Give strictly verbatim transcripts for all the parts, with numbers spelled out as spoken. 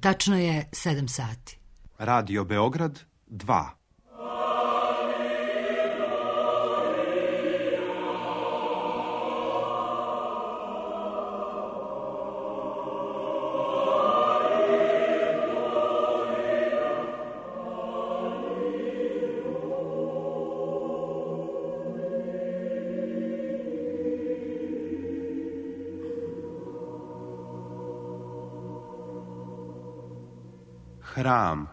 Tačno je sedam sati. Radio Beograd dva. Hram.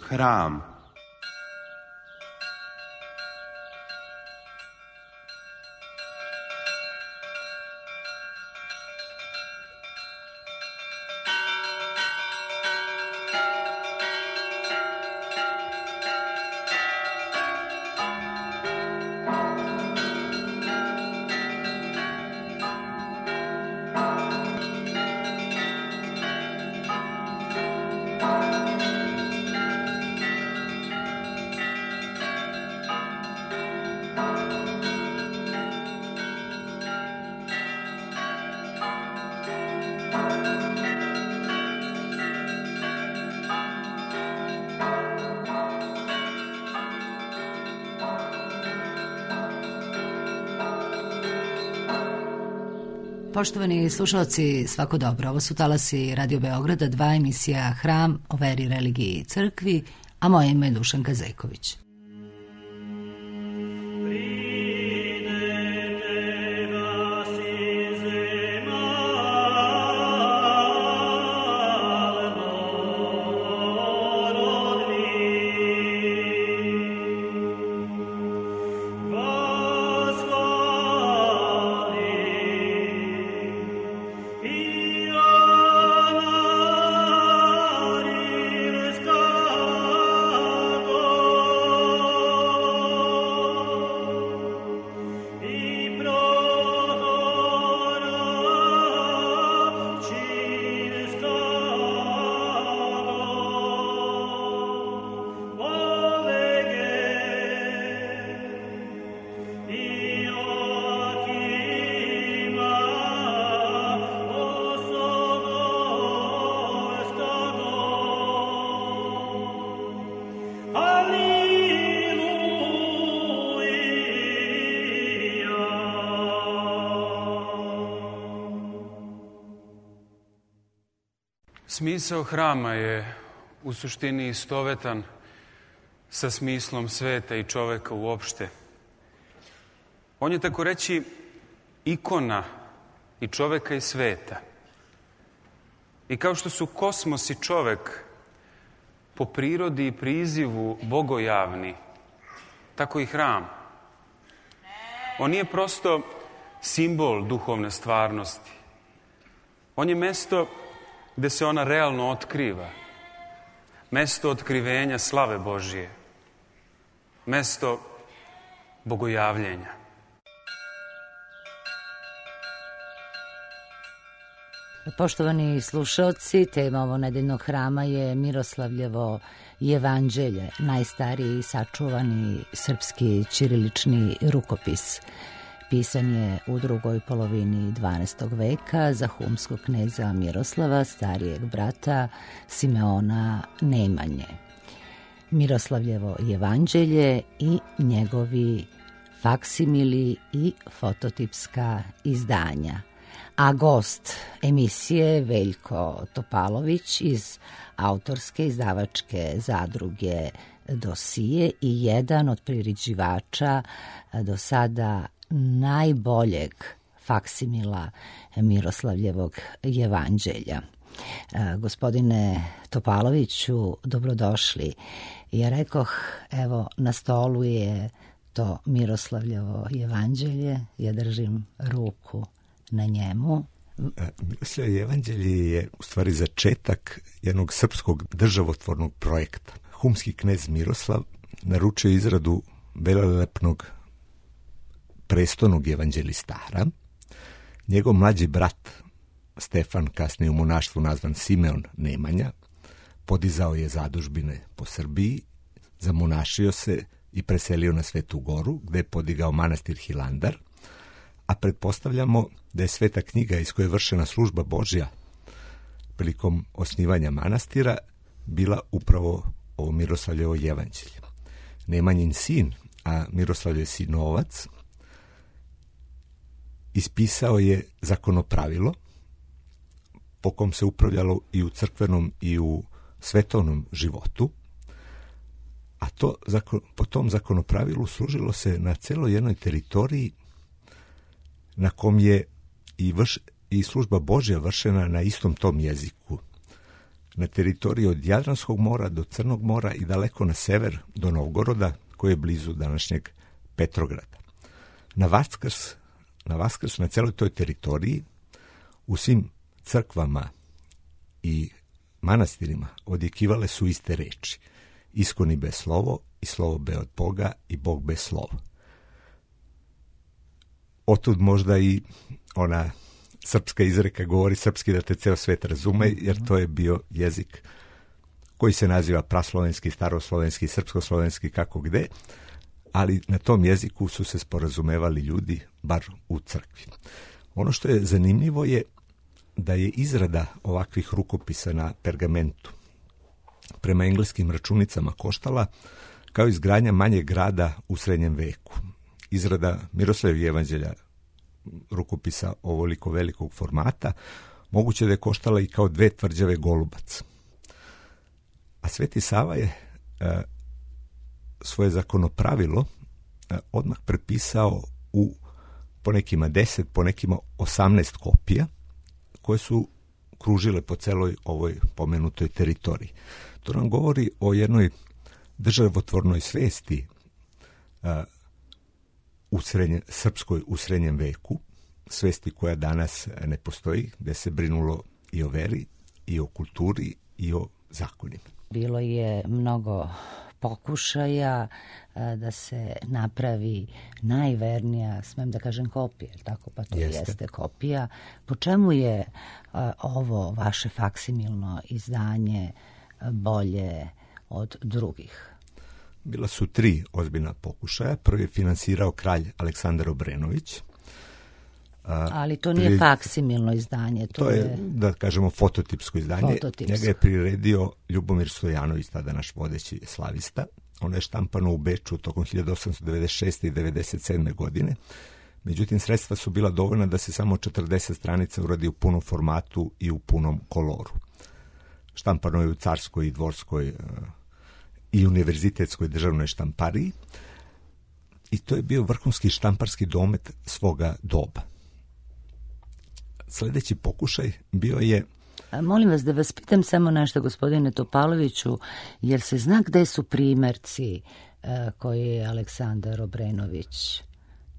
Hram. Poštovani slušalci, svako dobro. Ovo su talasi Radio Beograda, dva, emisija Hram o veri, religiji i crkvi, a moje ime je Dušanka Zejković. Smisao hrama je u suštini istovetan sa smislom sveta i čoveka uopšte. On je, tako reći, ikona i čoveka i sveta. I kao što su kosmos i čovek po prirodi i prizivu bogojavni, tako i hram. On nije prosto simbol duhovne stvarnosti. On je mesto gde se ona realno otkriva. Mesto otkrivenja slave Božije. Mesto bogojavljenja. Poštovani slušalci, tema ovo nedeljnog hrama je Miroslavljevo jevanđelje, najstariji sačuvani srpski ćirilični rukopis. Pisan je u drugoj polovini dvanaestog veka za humskog kneza Miroslava, starijeg brata Simeona Nemanje. Miroslavljevo jevanđelje i njegovi faksimili i fototipska izdanja. A gost emisije Veljko Topalović iz autorske izdavačke zadruge Dosije i jedan od priređivača do sada najboljeg faksimila Miroslavljevog jevanđelja. Gospodine Topaloviću, dobrodošli. Ja rekoh, evo, na stolu je to Miroslavljevo jevanđelje, ja držim ruku na njemu. Miroslavljevo jevanđelje je u stvari začetak jednog srpskog državotvornog projekta. Humski knez Miroslav naručio izradu velelepnog prestolnog evanđelistara. Njegov mlađi brat Stefan, kasnije u monaštvu nazvan Simeon Nemanja, podizao je zadužbine po Srbiji, zamonašio se i preselio na Svetu Goru, gde je podigao manastir Hilandar, a pretpostavljamo da je Sveta knjiga iz koje je vršena služba Božja prilikom osnivanja manastira bila upravo ovo Miroslavljevo evanđelje. Nemanjin sin, a Miroslavljev sinovac, ispisao je zakonopravilo po kom se upravljalo i u crkvenom i u svetovnom životu, a to, po tom zakonopravilu služilo se na celoj jednoj teritoriji na kom je i, vrš, i služba Božja vršena na istom tom jeziku. Na teritoriji od Jadranskog mora do Crnog mora i daleko na sever do Novgoroda, koji je blizu današnjeg Petrograda. Na Vaskrs, na Vaskrs, na celoj toj teritoriji, u svim crkvama i manastirima odjekivale su iste reči: iskoni be slovo i slovo be od Boga i Bog be slovo. Otud možda i ona srpska izreka govori srpski da te ceo svet razume, jer to je bio jezik koji se naziva praslovenski, staroslovenski, srpskoslovenski, kako gde, ali na tom jeziku su se sporazumevali ljudi, bar u crkvi. Ono što je zanimljivo je da je izrada ovakvih rukopisa na pergamentu prema engleskim računicama koštala kao izgradnja manjeg grada u srednjem veku. Izrada Miroslavljevog evanđelja, rukopisa ovoliko velikog formata, moguće da je koštala i kao dve tvrđave Golubac. A Sveti Sava je e, svoje zakonopravilo e, odmah prepisao u po nekima deset, po nekima osamnaest kopija, koje su kružile po celoj ovoj pomenutoj teritoriji. To nam govori o jednoj državotvornoj svesti a, u srednje, srpskoj u srednjem veku, svesti koja danas ne postoji, gde se brinulo i o veri, i o kulturi, i o zakonima. Bilo je mnogo pokušaja da se napravi najvernija, smem da kažem, kopija, tako, pa to jeste, jeste kopija. Po čemu je a, ovo vaše faksimilno izdanje bolje od drugih? Bila su tri ozbiljna pokušaja. Prvi je finansirao kralj Aleksandar Obrenović. A, Ali to nije pri... faksimilno izdanje. To, to je, je, da kažemo, fototipsko izdanje. Fototipsko. Njega je priredio Ljubomir Stojanović, tada naš vodeći slavista. Ono je štampano u Beču tokom hiljadu osamsto devedeset šeste i devedeset sedme godine. Međutim, sredstva su bila dovoljna da se samo četrdeset stranica uradi u punom formatu i u punom koloru. Štampano je u carskoj i dvorskoj i univerzitetskoj državnoj štampariji. I to je bio vrhunski štamparski domet svoga doba. Sljedeći pokušaj bio je... A molim vas da vas pitam samo nešto, gospodine Topaloviću, jer se zna gde su primerci e, koje je Aleksandar Obrenović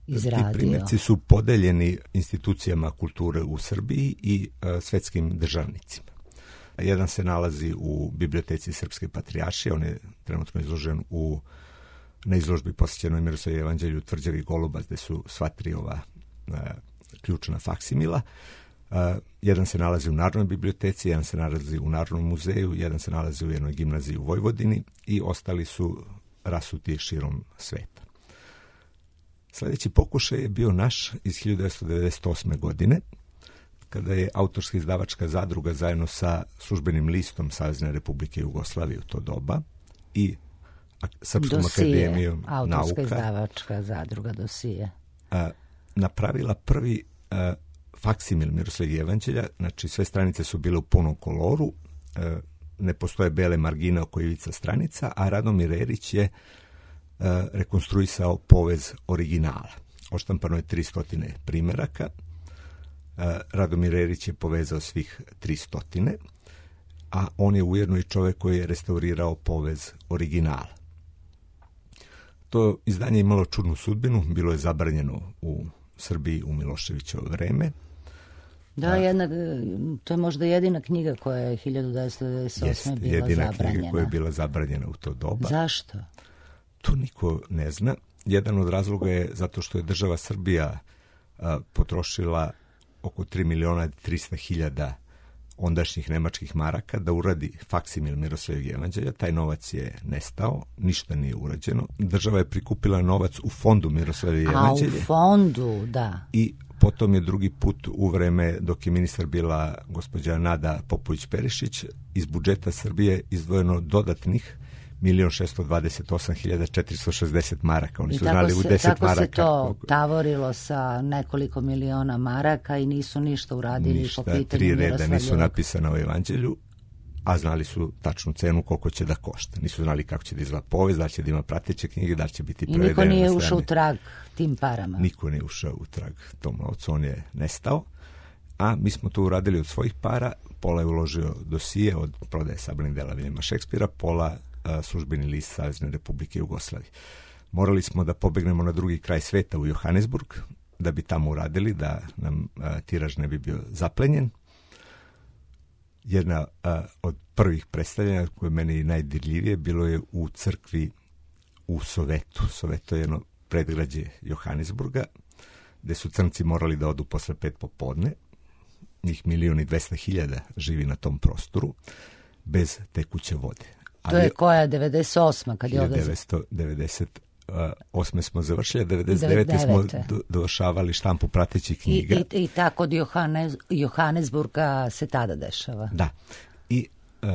izradio? Ti primerci su podeljeni institucijama kulture u Srbiji i e, svetskim državnicima. Jedan se nalazi u biblioteci Srpske patrijaršije, on je trenutno izložen u na izložbi posvećenoj Miroslavljevom evanđelju Tvrđavi Golubac, gde su sva tri ova e, ključna faksimila. Uh, jedan se nalazi u Narodnoj biblioteci, jedan se nalazi u Narodnom muzeju, jedan se nalazi u jednoj gimnaziji u Vojvodini i ostali su rasuti širom sveta. Sljedeći pokušaj je bio naš iz hiljadu devetsto devedeset osme. godine, kada je autorska izdavačka zadruga zajedno sa službenim listom Savezne Republike Jugoslavije u to doba i Srpskom Dosije, akademijom autorska nauka izdavačka zadruga Dosije. Uh, napravila prvi uh, faksimil Miroslavljevog evanđelja, znači sve stranice su bile u punom koloru, uh, ne postoje bele margine oko ivica stranica, a Radomir Erić je uh, rekonstruisao povez originala. Oštampano je tristo primeraka, uh, Radomir Erić je povezao svih tristo, a on je ujedno i čovjek koji je restaurirao povez originala. To izdanje imalo čudnu sudbinu, bilo je zabranjeno u Srbiji u Miloševićevo vreme. Da, jedna, to je možda jedina knjiga koja je hiljadu devetsto devedeset osme. Jest, bila jedina zabranjena. knjiga koja je bila zabranjena u to doba. Zašto? to niko ne zna. Jedan od razloga je zato što je država Srbija a, potrošila oko tri miliona trista hiljada ondašnjih nemačkih maraka da uradi faksimil Miroslavljevog jevanđelja. Taj novac je nestao, ništa nije urađeno. Država je prikupila novac u fondu Miroslavljevog jevanđelja. A u fondu, da. I potom je drugi put u vreme dok je ministar bila gospođa Nada Popović-Perišić iz budžeta Srbije izdvojeno dodatnih milion šesto dvadeset osam hiljada četiristo šezdeset maraka. Oni I su tako znali se, u deset tako maraka. se to koliko... tavorilo sa nekoliko miliona maraka i nisu ništa uradili ništa, po pitanju tri reda Miroslavljevog. nisu napisana u evanđelju, a znali su tačnu cenu koliko će da košta. Nisu znali kako će da izgleda povest, da li će da ima prateće knjige, da li će biti prevedene. I niko nije na ušao u trag tim parama. Niko nije ušao u trag tom novcu, on je nestao. A mi smo to uradili od svojih para, pola je uložio dosije od prodaje sabranih dela Viljama Šekspira, pola a, službeni list Savezne Republike Jugoslavije. Morali smo da pobegnemo na drugi kraj sveta u Johannesburg, da bi tamo uradili, da nam a, tiraž ne bi bio zaplenjen. Jedna a, od prvih predstavljanja koje je meni najdirljivije bilo je u crkvi u Sovetu. Soveto je jedno predgrađe Johannesburga, gde su crnci morali da odu posle pet popodne. Njih milion i dvesta hiljada živi na tom prostoru bez tekuće vode. To je koja, devedeset osma kad je ovdje... hiljada devetsto devedeset osme smo završili, a devedeset devete smo do, dovršavali štampu pratećih knjiga. I, i, i tako od Johannes, Johannesburga se tada dešava. Da. I uh,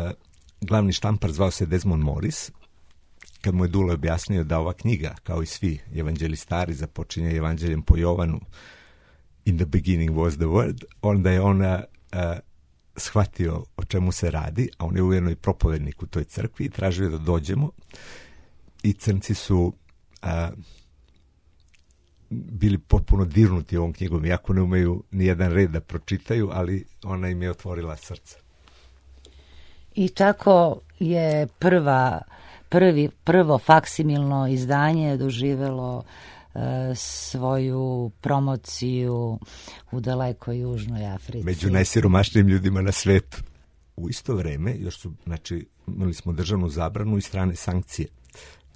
glavni štampar zvao se Desmond Morris. Kad mu je Dule objasnio da ova knjiga, kao i svi evanđelistari, započinje evanđeljem po Jovanu, In the beginning was the word, onda je ona uh, shvatio o čemu se radi, a on je ujedno i propovednik u toj crkvi i tražio da dođemo. I crnci su uh, bili potpuno dirnuti ovom knjigom, iako ne umeju ni jedan red da pročitaju, ali ona im je otvorila srce. I tako je prva, prvi, prvo faksimilno izdanje doživelo svoju promociju u dalekoj Južnoj Africi. Među najsiromašnijim ljudima na svetu. U isto vreme, još su, znači, imali smo državnu zabranu i strane sankcije.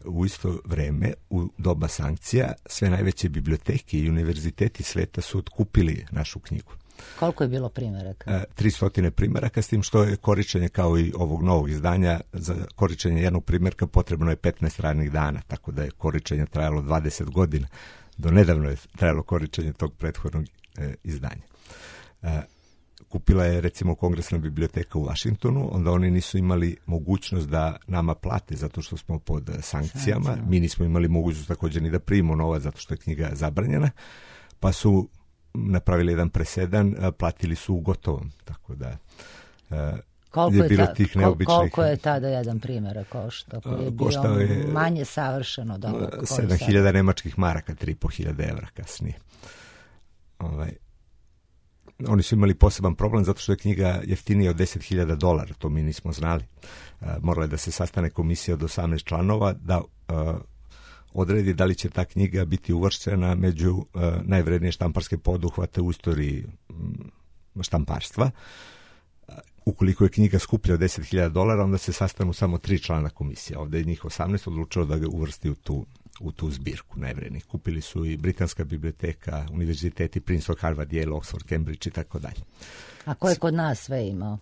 U isto vreme, u doba sankcija, sve najveće biblioteke i univerziteti sveta su otkupili našu knjigu. Koliko je bilo primeraka? tristo primeraka, s tim što je korišćenje kao i ovog novog izdanja, za korišćenje jednog primerka potrebno je petnaest radnih dana, tako da je korišćenje trajalo dvadeset godina. Do nedavno je trajalo korišćenje tog prethodnog e, izdanja. E, kupila je recimo Kongresna biblioteka u Vašingtonu, onda oni nisu imali mogućnost da nama plate zato što smo pod sankcijama. Sankcija. Mi nismo imali mogućnost također ni da primimo novac zato što je knjiga zabranjena, pa su napravili jedan presedan, platili su u gotovom, tako da koliko je bilo je ta, tih neobičnih... Koliko je tada jedan primjerak koštao, koji je bio je manje savršen od ovog? sedam hiljada nemačkih maraka, tri i po hiljade evra kasnije. Ovaj, oni su imali poseban problem zato što je knjiga jeftinija od deset hiljada dolara, to mi nismo znali. Morala je da se sastane komisija od osamnaest članova da odredi da li će ta knjiga biti uvrštena među uh, najvrednije štamparske poduhvate u istoriji um, štamparstva. Uh, ukoliko je knjiga skuplja od deset hiljada dolara, onda se sastanu samo tri člana komisije. Ovdje je njih osamnaest odlučilo da ga uvrsti u tu, u tu zbirku najvrednijih. Kupili su i Britanska biblioteka, univerziteti Princeton, Harvard, Yale, Oxford, Cambridge i tako dalje. A ko je kod nas sve imao?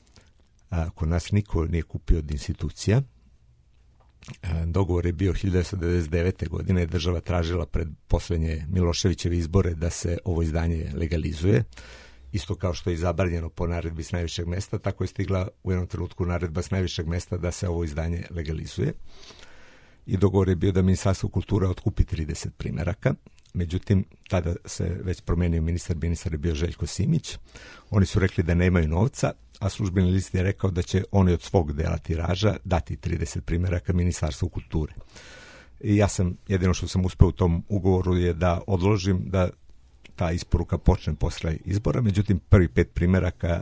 Uh, kod nas niko nije kupio od institucija. Dogovor je bio hiljadu devetsto devedeset devete. godine, država tražila pred posljednje Miloševićeve izbore da se ovo izdanje legalizuje. Isto kao što je zabranjeno po naredbi s najvišeg mesta, tako je stigla u jednom trenutku naredba s najvišeg mesta da se ovo izdanje legalizuje. I dogovor je bio da Ministarstvo kulture otkupi trideset primeraka. Međutim, tada se već promenio ministar, ministar je bio Željko Simić. Oni su rekli da nemaju novca, a službeni list je rekao da će oni od svog dela tiraža dati trideset primeraka Ministarstvu kulture. I ja sam, jedino što sam uspeo u tom ugovoru je da odložim da ta isporuka počne posle izbora, međutim prvi pet primeraka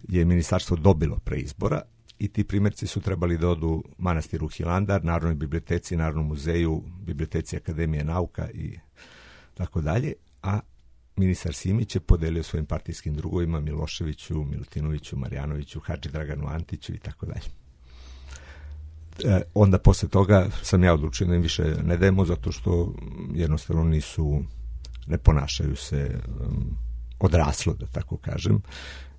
je ministarstvo dobilo pre izbora i ti primjerci su trebali da odu manastiru Hilandar, Narodnoj biblioteci, Narodnom muzeju, Biblioteci Akademije nauka i tako dalje, a ministar Simić je podelio svojim partijskim drugovima Miloševiću, Milutinoviću, Marjanoviću, Hadži Draganu Antiću i tako dalje. e, onda posle toga sam ja odlučio da im više ne dajemo, zato što jednostavno nisu, ne ponašaju se um, odraslo, da tako kažem.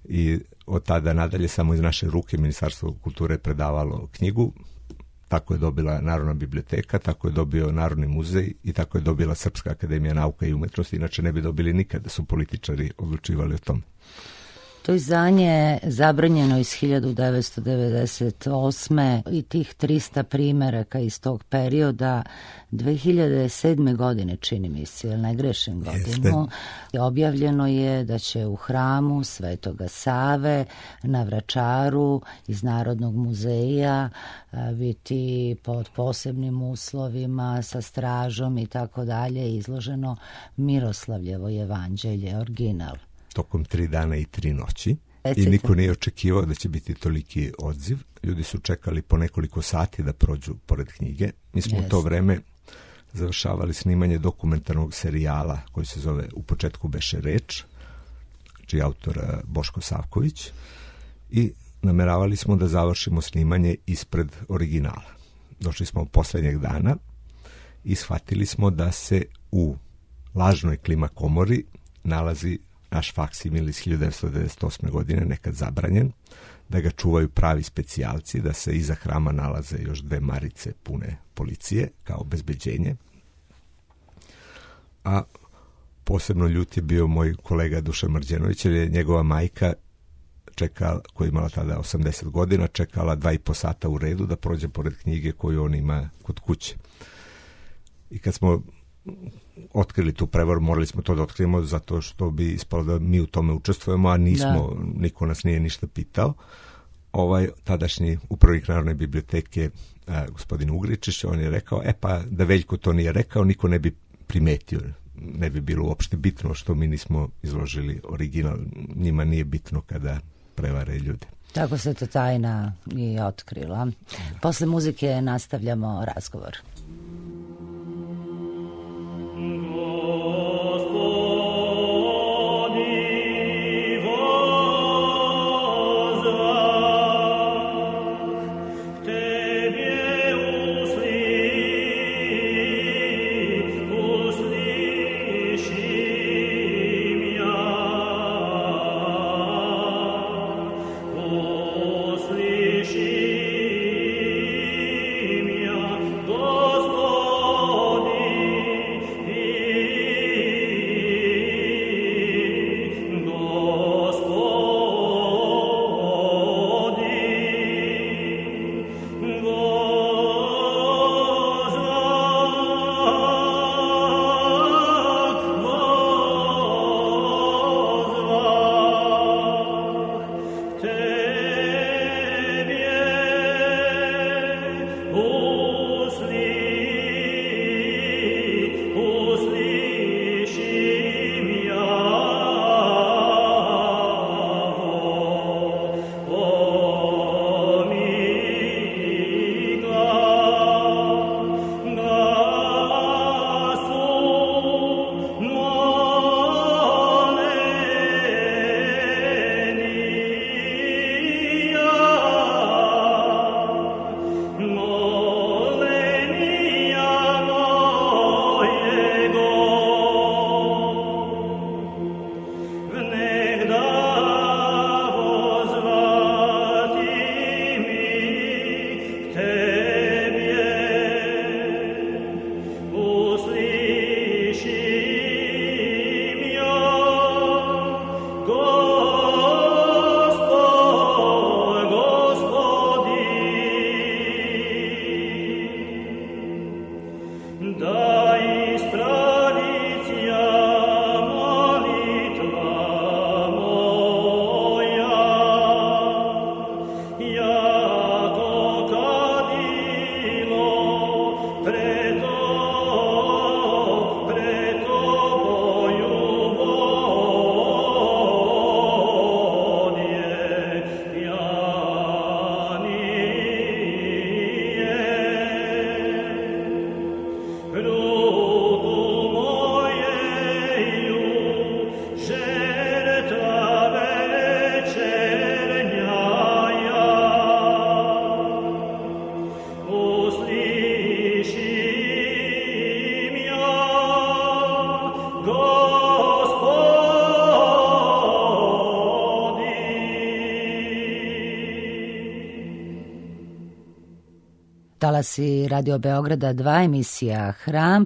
I od tada nadalje samo iz naše ruke Ministarstvo kulture je predavalo knjigu. Tako je dobila Narodna biblioteka, tako je dobio Narodni muzej i tako je dobila Srpska akademija nauka i umetnosti. Inače ne bi dobili nikada da su političari odlučivali o tom. To izdanje je zabranjeno iz hiljadu devetsto devedeset osme i tih trista primeraka iz tog perioda dve hiljade sedme. godine, čini mi se, jel ne grešim godinu, i objavljeno je da će u hramu Svetoga Save na Vračaru iz Narodnog muzeja biti pod posebnim uslovima sa stražom i tako dalje izloženo Miroslavljevo evanđelje, original. Tokom tri dana i tri noći. I niko nije očekivao da će biti toliki odziv. Ljudi su čekali po nekoliko sati da prođu pored knjige. Mi smo yes. u to vreme završavali snimanje dokumentarnog serijala koji se zove U početku beše reč, čiji je autor Boško Savković, i nameravali smo da završimo snimanje ispred originala. Došli smo poslednjeg dana i shvatili smo da se u lažnoj klima komori nalazi naš faksimil iz hiljadu devetsto devedeset osme. godine, nekad zabranjen, da ga čuvaju pravi specijalci, da se iza hrama nalaze još dve marice pune policije kao obezbeđenje. A posebno ljut je bio moj kolega Dušan Mrđenović, jer je njegova majka čekala, koja je imala tada osamdeset godina, čekala dva i po sata u redu da prođe pored knjige koju on ima kod kuće. I kad smo otkrili tu prevaru, morali smo to da otkrijemo zato što bi ispalo da mi u tome učestvujemo, a nismo, da. Niko nas nije ništa pitao. Ovaj tadašnji upravnik Narodne biblioteke, a, gospodin Ugričić, on je rekao, e pa da Veljko to nije rekao, niko ne bi primetio, ne bi bilo uopšte bitno što mi nismo izložili original, njima nije bitno kada prevare ljude. Tako se to tajna i otkrila. Da. Posle muzike nastavljamo razgovor. Hello. Talasi Radio Beograda dva, emisija Hram.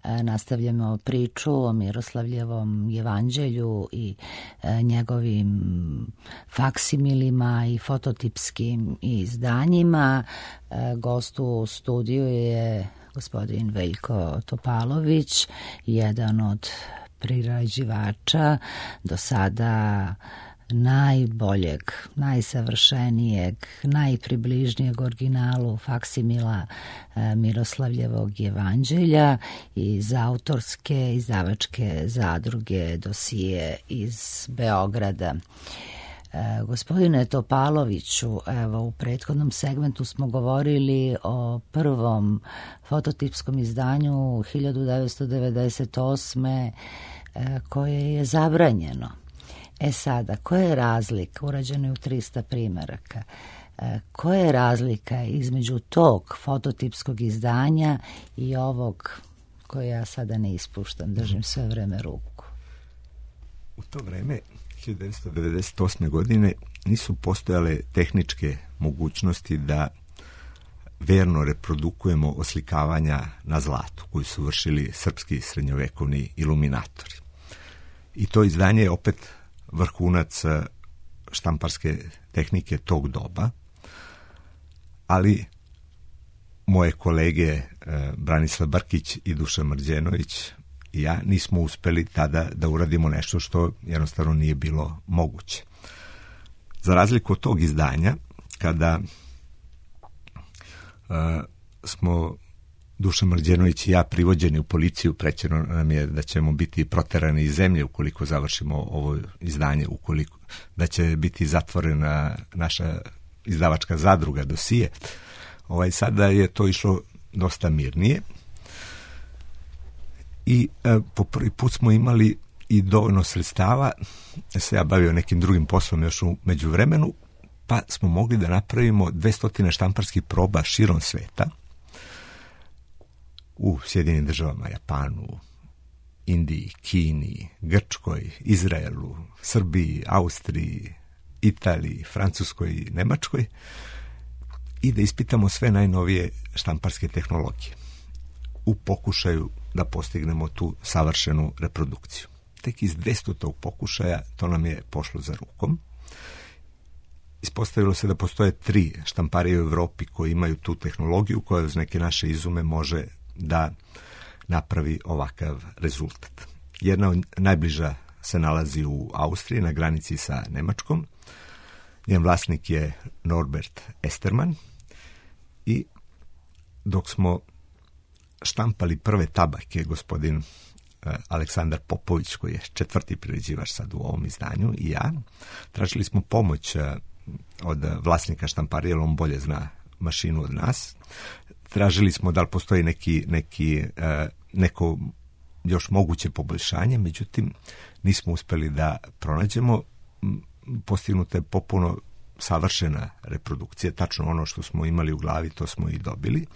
E, nastavljamo priču o Miroslavljevom jevanđelju i e, njegovim faksimilima i fototipskim izdanjima. E, gost u studiju je gospodin Veljko Topalović, jedan od prirađivača do sada najboljeg, najsavršenijeg, najpribližnijeg originalu faksimila e, Miroslavljevog jevanđelja iz autorske izdavačke zadruge Dosije iz Beograda. E, gospodine Topaloviću, evo u prethodnom segmentu smo govorili o prvom fototipskom izdanju hiljadu devetsto devedeset osme e, koje je zabranjeno. E sada, koja je razlika, urađeno je u trista primeraka, e, koja je razlika između tog fototipskog izdanja i ovog koje ja sada ne ispuštam, držim sve vreme ruku? U to vreme, hiljadu devetsto devedeset osme godine, nisu postojale tehničke mogućnosti da verno reprodukujemo oslikavanja na zlatu koji su vršili srpski srednjovekovni iluminatori. I to izdanje je opet vrhunac štamparske tehnike tog doba, ali moje kolege Branislav Brkić i Dušan Mrđenović i ja nismo uspeli tada da uradimo nešto što jednostavno nije bilo moguće. Za razliku od tog izdanja, kada uh, smo Dušan Mrđenović i ja privođeni u policiju, prećeno nam je da ćemo biti proterani iz zemlje ukoliko završimo ovo izdanje, ukoliko da će biti zatvorena naša izdavačka zadruga Dosije. Ovaj, sada je to išlo dosta mirnije i e, po prvi put smo imali i dovoljno sredstava, ja se ja bavio nekim drugim poslom još u međuvremenu, pa smo mogli da napravimo dvesta štamparskih proba širom sveta, u Sjedinim državama, Japanu, Indiji, Kini, Grčkoj, Izraelu, Srbiji, Austriji, Italiji, Francuskoj i Nemačkoj i da ispitamo sve najnovije štamparske tehnologije u pokušaju da postignemo tu savršenu reprodukciju. Tek iz dvestog pokušaja to nam je pošlo za rukom. Ispostavilo se da postoje tri štamparije u Evropi koji imaju tu tehnologiju koja uz neke naše izume može da napravi ovakav rezultat. Jedna od najbliža se nalazi u Austriji, na granici sa Nemačkom. Njen vlasnik je Norbert Esterman i dok smo štampali prve tabake, gospodin Aleksandar Popović, koji je četvrti priređivač sad u ovom izdanju, i ja, tražili smo pomoć od vlasnika štamparije, jer on bolje zna mašinu od nas. Tražili smo da li postoji neki, neki, neko još moguće poboljšanje, međutim nismo uspeli da pronađemo. Postignuta je popuno savršena reprodukcija, tačno ono što smo imali u glavi, to smo i dobili.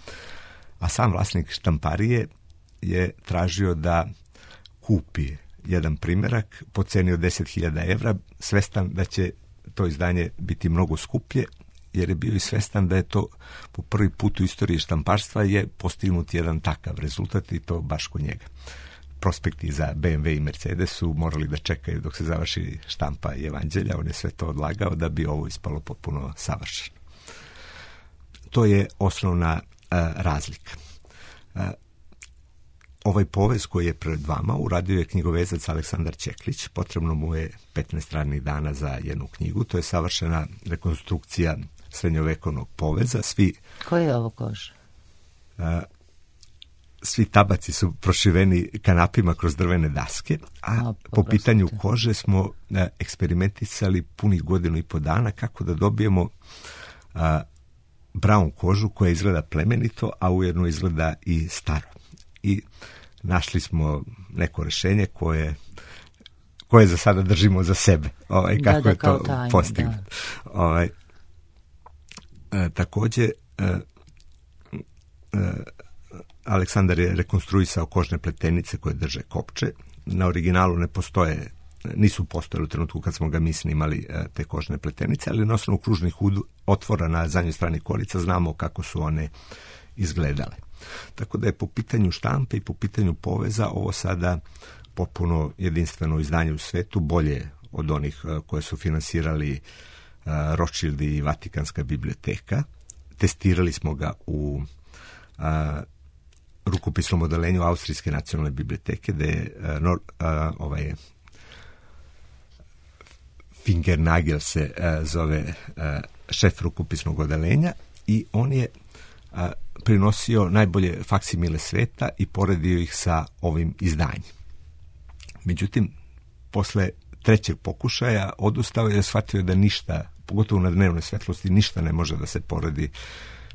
A sam vlasnik štamparije je tražio da kupi jedan primerak po ceni od deset hiljada evra, svestan da će to izdanje biti mnogo skuplje, jer je bio i svestan da je to po prvi put u istoriji štamparstva je postignut jedan takav rezultat i to baš kod njega. Prospekti za be em ve i Mercedes su morali da čekaju dok se završi štampa Evanđelja, on je sve to odlagao da bi ovo ispalo potpuno savršeno. To je osnovna uh, razlika. Uh, ovaj povez koji je pred vama uradio je knjigovezac Aleksandar Čeklić, potrebno mu je petnaest radnih dana za jednu knjigu, to je savršena rekonstrukcija srednjovekovnog poveza. Svi, Koji je ovo kož? Uh, svi tabaci su prošiveni kanapima kroz drvene daske, a o, po pitanju kože smo uh, eksperimentisali punih godinu i po dana kako da dobijemo uh, brown kožu koja izgleda plemenito, a ujedno izgleda i staro. I našli smo neko rešenje koje koje za sada držimo za sebe. Ovaj, kako da, da, je to postignuto. Ovaj, e, takođe, e, e, Aleksandar je rekonstruisao kožne pletenice koje drže kopče. na originalu ne postoje, nisu postojali u trenutku kad smo ga mi snimali te kožne pletenice, ali na osnovu kružnih otvora na zadnjoj strani korica znamo kako su one izgledale. Tako da je po pitanju štampe i po pitanju poveza ovo sada potpuno jedinstveno izdanje u svetu, bolje od onih koje su finansirali Rothschild i Vatikanska biblioteka. Testirali smo ga u a, rukopisnom odelenju Austrijske nacionalne biblioteke, gde je a, a, ovaj Fingernagel se a, zove a, šef rukopisnog odelenja i on je a, prinosio najbolje faksimile sveta i poredio ih sa ovim izdanjem. Međutim, posle trećeg pokušaja odustao je, shvatio da ništa, pogotovo na dnevnoj svetlosti, ništa ne može da se poredi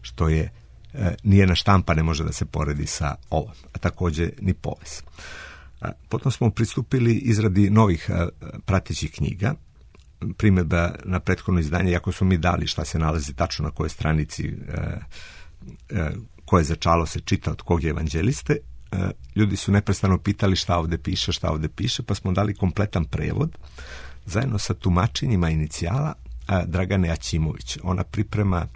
što je, e, nijedna štampa ne može da se poredi sa ovom, a takođe ni povez. A, potom smo pristupili izradi novih a, pratećih knjiga. Primjedba na prethodno izdanje, iako smo mi dali šta se nalazi tačno na kojoj stranici, e, e, koje začalo se čita od kog je evanđeliste, ljudi su neprestano pitali šta ovde piše, šta ovde piše, pa smo dali kompletan prevod zajedno sa tumačenjima inicijala Dragane Aćimović. Ona priprema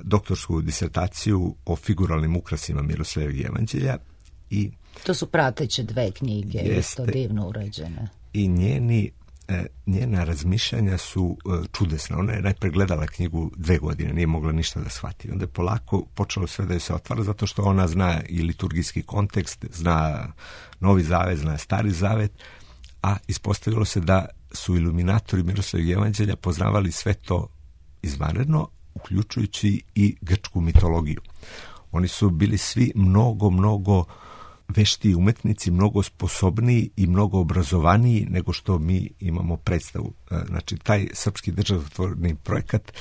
doktorsku disertaciju o figuralnim ukrasima Miroslavljevog evanđelja i to su prateće dve knjige, jeste, isto divno urađene. I njeni njena razmišljanja su čudesna. Ona je najpre gledala knjigu dve godine, nije mogla ništa da shvati. Onda je polako počelo sve da joj se otvara, zato što ona zna i liturgijski kontekst, zna Novi Zavet, zna Stari Zavet, a ispostavilo se da su iluminatori Miroslavljevog evanđelja poznavali sve to izvanredno, uključujući i grčku mitologiju. Oni su bili svi mnogo, mnogo vešti umetnici, mnogo sposobniji i mnogo obrazovaniji nego što mi imamo predstavu. Znači, taj srpski državotvorni projekat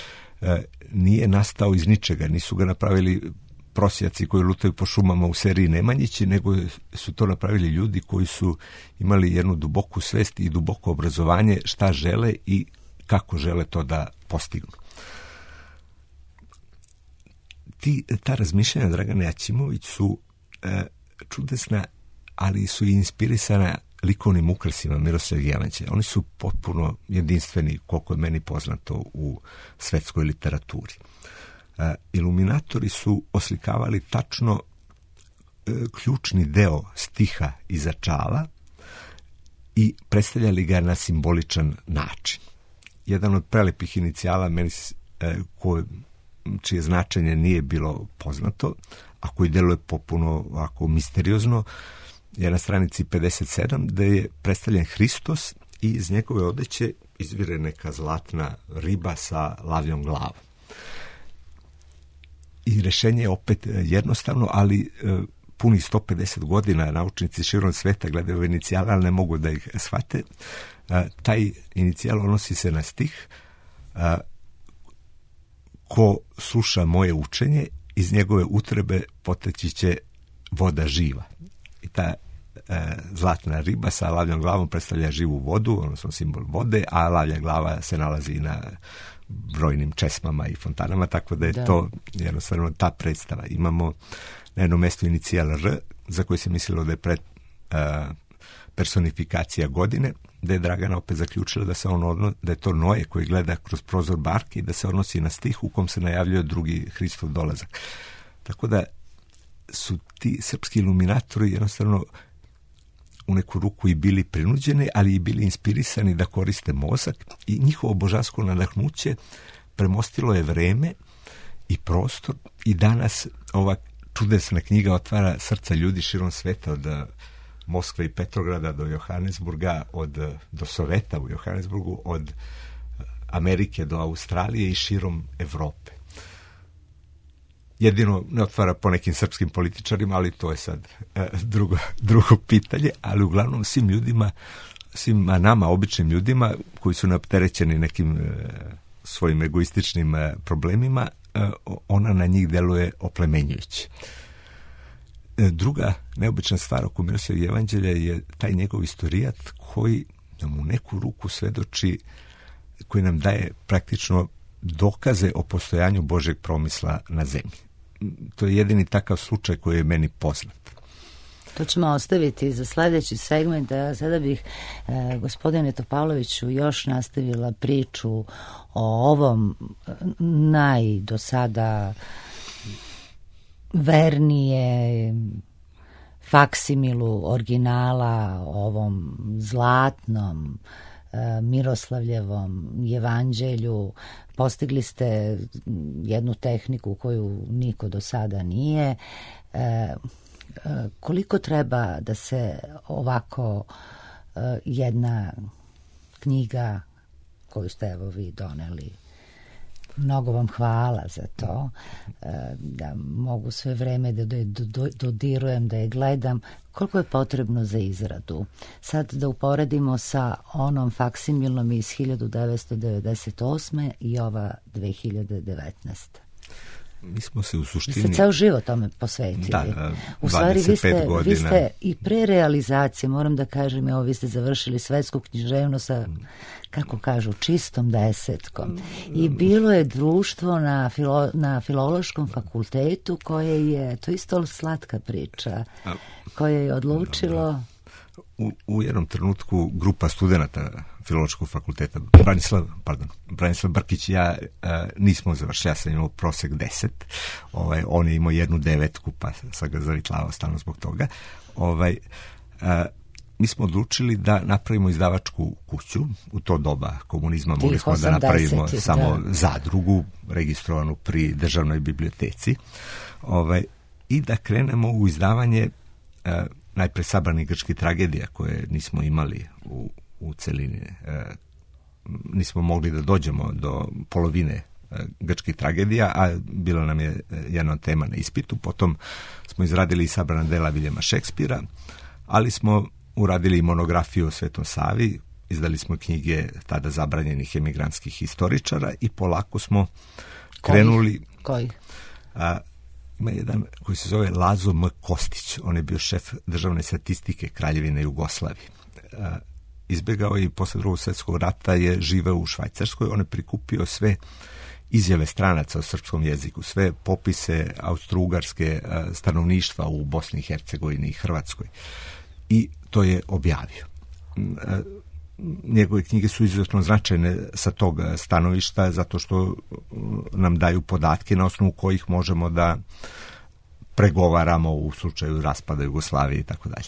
nije nastao iz ničega, nisu ga napravili prosjaci koji lutaju po šumama u seriji Nemanjići, nego su to napravili ljudi koji su imali jednu duboku svest i duboko obrazovanje šta žele i kako žele to da postignu. Ti, ta razmišljanja Dragane Aćimović su e, čudesna, ali su i inspirisana likovnim ukrasima Miroslavljevog evanđelja. Oni su potpuno jedinstveni, koliko je meni poznato, u svetskoj literaturi. E, iluminatori su oslikavali tačno e, ključni deo stiha iza čala i predstavljali ga na simboličan način. Jedan od prelepih inicijala, meni, e, koje, čije značenje nije bilo poznato, a koji deluje popuno ovako misteriozno, je na stranici pedeset sedam, da je predstavljen Hristos i iz njegove odeće izvire neka zlatna riba sa lavljom glavom. I rešenje je opet jednostavno, ali e, punih sto pedeset godina naučnici širom sveta gledaju ove inicijale, ali ne mogu da ih shvate. E, taj inicijal odnosi se na stih e, ko sluša moje učenje, iz njegove utrebe poteći će voda živa. I ta e, zlatna riba sa lavljom glavom predstavlja živu vodu, odnosno simbol vode, a lavlja glava se nalazi na brojnim česmama i fontanama, tako da je da. to jednostavno ta predstava. Imamo na jednom mestu inicijal R, za koji se mislilo da je pred, e, personifikacija godine, da je Dragana opet zaključila da se on odno, da je to Noje koji gleda kroz prozor barke i da se odnosi na stih u kom se najavljuje drugi Hristov dolazak. Tako da su ti srpski iluminatori jednostavno u neku ruku i bili prinuđeni, ali i bili inspirisani da koriste mozak i njihovo božansko nadahnuće premostilo je vreme i prostor i danas ova čudesna knjiga otvara srca ljudi širom sveta, od Moskve i Petrograda do Johannesburga, od, do Soveta u Johannesburgu, od Amerike do Australije i širom Evrope. Jedino ne otvara po nekim srpskim političarima, ali to je sad e, drugo, drugo pitanje, ali uglavnom svim ljudima, svim nama, običnim ljudima koji su neopterećeni nekim e, svojim egoističnim e, problemima, e, ona na njih deluje oplemenjujuće. Druga neobična stvar oko Miroslavljevog evanđelja je taj njegov istorijat koji nam u neku ruku svedoči, koji nam daje praktično dokaze o postojanju Božjeg promisla na zemlji. To je jedini takav slučaj koji je meni poznat. To ćemo ostaviti za sledeći segment, a sada bih e, gospodine Topaloviću još nastavila priču o ovom naj do sada vernije faksimilu originala, ovom zlatnom e, Miroslavljevom jevanđelju. Postigli ste jednu tehniku koju niko do sada nije. E, koliko treba da se ovako jedna knjiga koju ste evo vi doneli, mnogo vam hvala za to, da mogu sve vreme da dodirujem, da je gledam, koliko je potrebno za izradu? Sad da uporedimo sa onom faksimilnom iz hiljadu devetsto devedeset osme i ova dve hiljade devetnaeste. Mi smo se u suštini... Vi ste ceo život tome posvetili. Da, u stvari, vi ste, godina. vi ste i pre realizacije, moram da kažem, evo, vi ste završili svetsku književnost sa, kako kažu, čistom desetkom. I bilo je društvo na, filo, na Filološkom fakultetu koje je, to isto slatka priča, koje je odlučilo... U, u jednom trenutku grupa studenata Filološkog fakulteta, Branislav, pardon, Branislav Brkić i ja a, nismo završili, ja sam imao prosek deset, ovaj, on je imao jednu devetku, pa sam ga zavitlavao stalno zbog toga. Ovaj, a, mi smo odlučili da napravimo izdavačku kuću. U to doba komunizma mogli smo da napravimo da. samo zadrugu registrovanu pri državnoj biblioteci, ovaj, i da krenemo u izdavanje a, najpre sabranih grčkih tragedija koje nismo imali u, u celini. E, nismo mogli da dođemo do polovine e, grčkih tragedija, a bila nam je jedna tema na ispitu. Potom smo izradili i sabrana dela Viljama Šekspira, ali smo uradili i monografiju o Svetom Savi, izdali smo knjige tada zabranjenih emigrantskih historičara i polako smo krenuli... Koji? A, ima jedan koji se zove Lazo M. Kostić, on je bio šef državne statistike Kraljevine Jugoslavije. Izbjegao je i posle drugog svjetskog rata je živeo u Švajcarskoj, on je prikupio sve izjave stranaca o srpskom jeziku, sve popise austrougarske stanovništva u Bosni i Hercegovini i Hrvatskoj. I to je objavio. Njegove knjige su izuzetno značajne sa tog stanovišta zato što nam daju podatke na osnovu kojih možemo da pregovaramo u slučaju raspada Jugoslavije i tako dalje.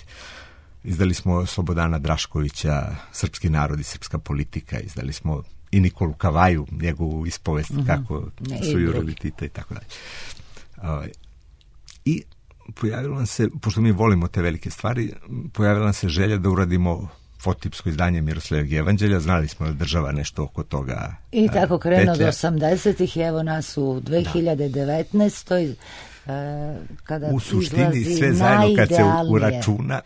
Izdali smo Slobodana Draškovića, Srpski narod i srpska politika, izdali smo i Nikolu Kavaju, njegovu ispovest mm-hmm. kako ne, su jurili Tita i tako dalje. I pojavilo nam se, pošto mi volimo te velike stvari, pojavila nam se želja da uradimo fotipsko izdanje Miroslavljevog jevanđelja, znali smo da država nešto oko toga. I tako krenuo do osamdesetih, evo nas u dve hiljade devetnaestoj kada u suštini sve zajedno kad se uračuna,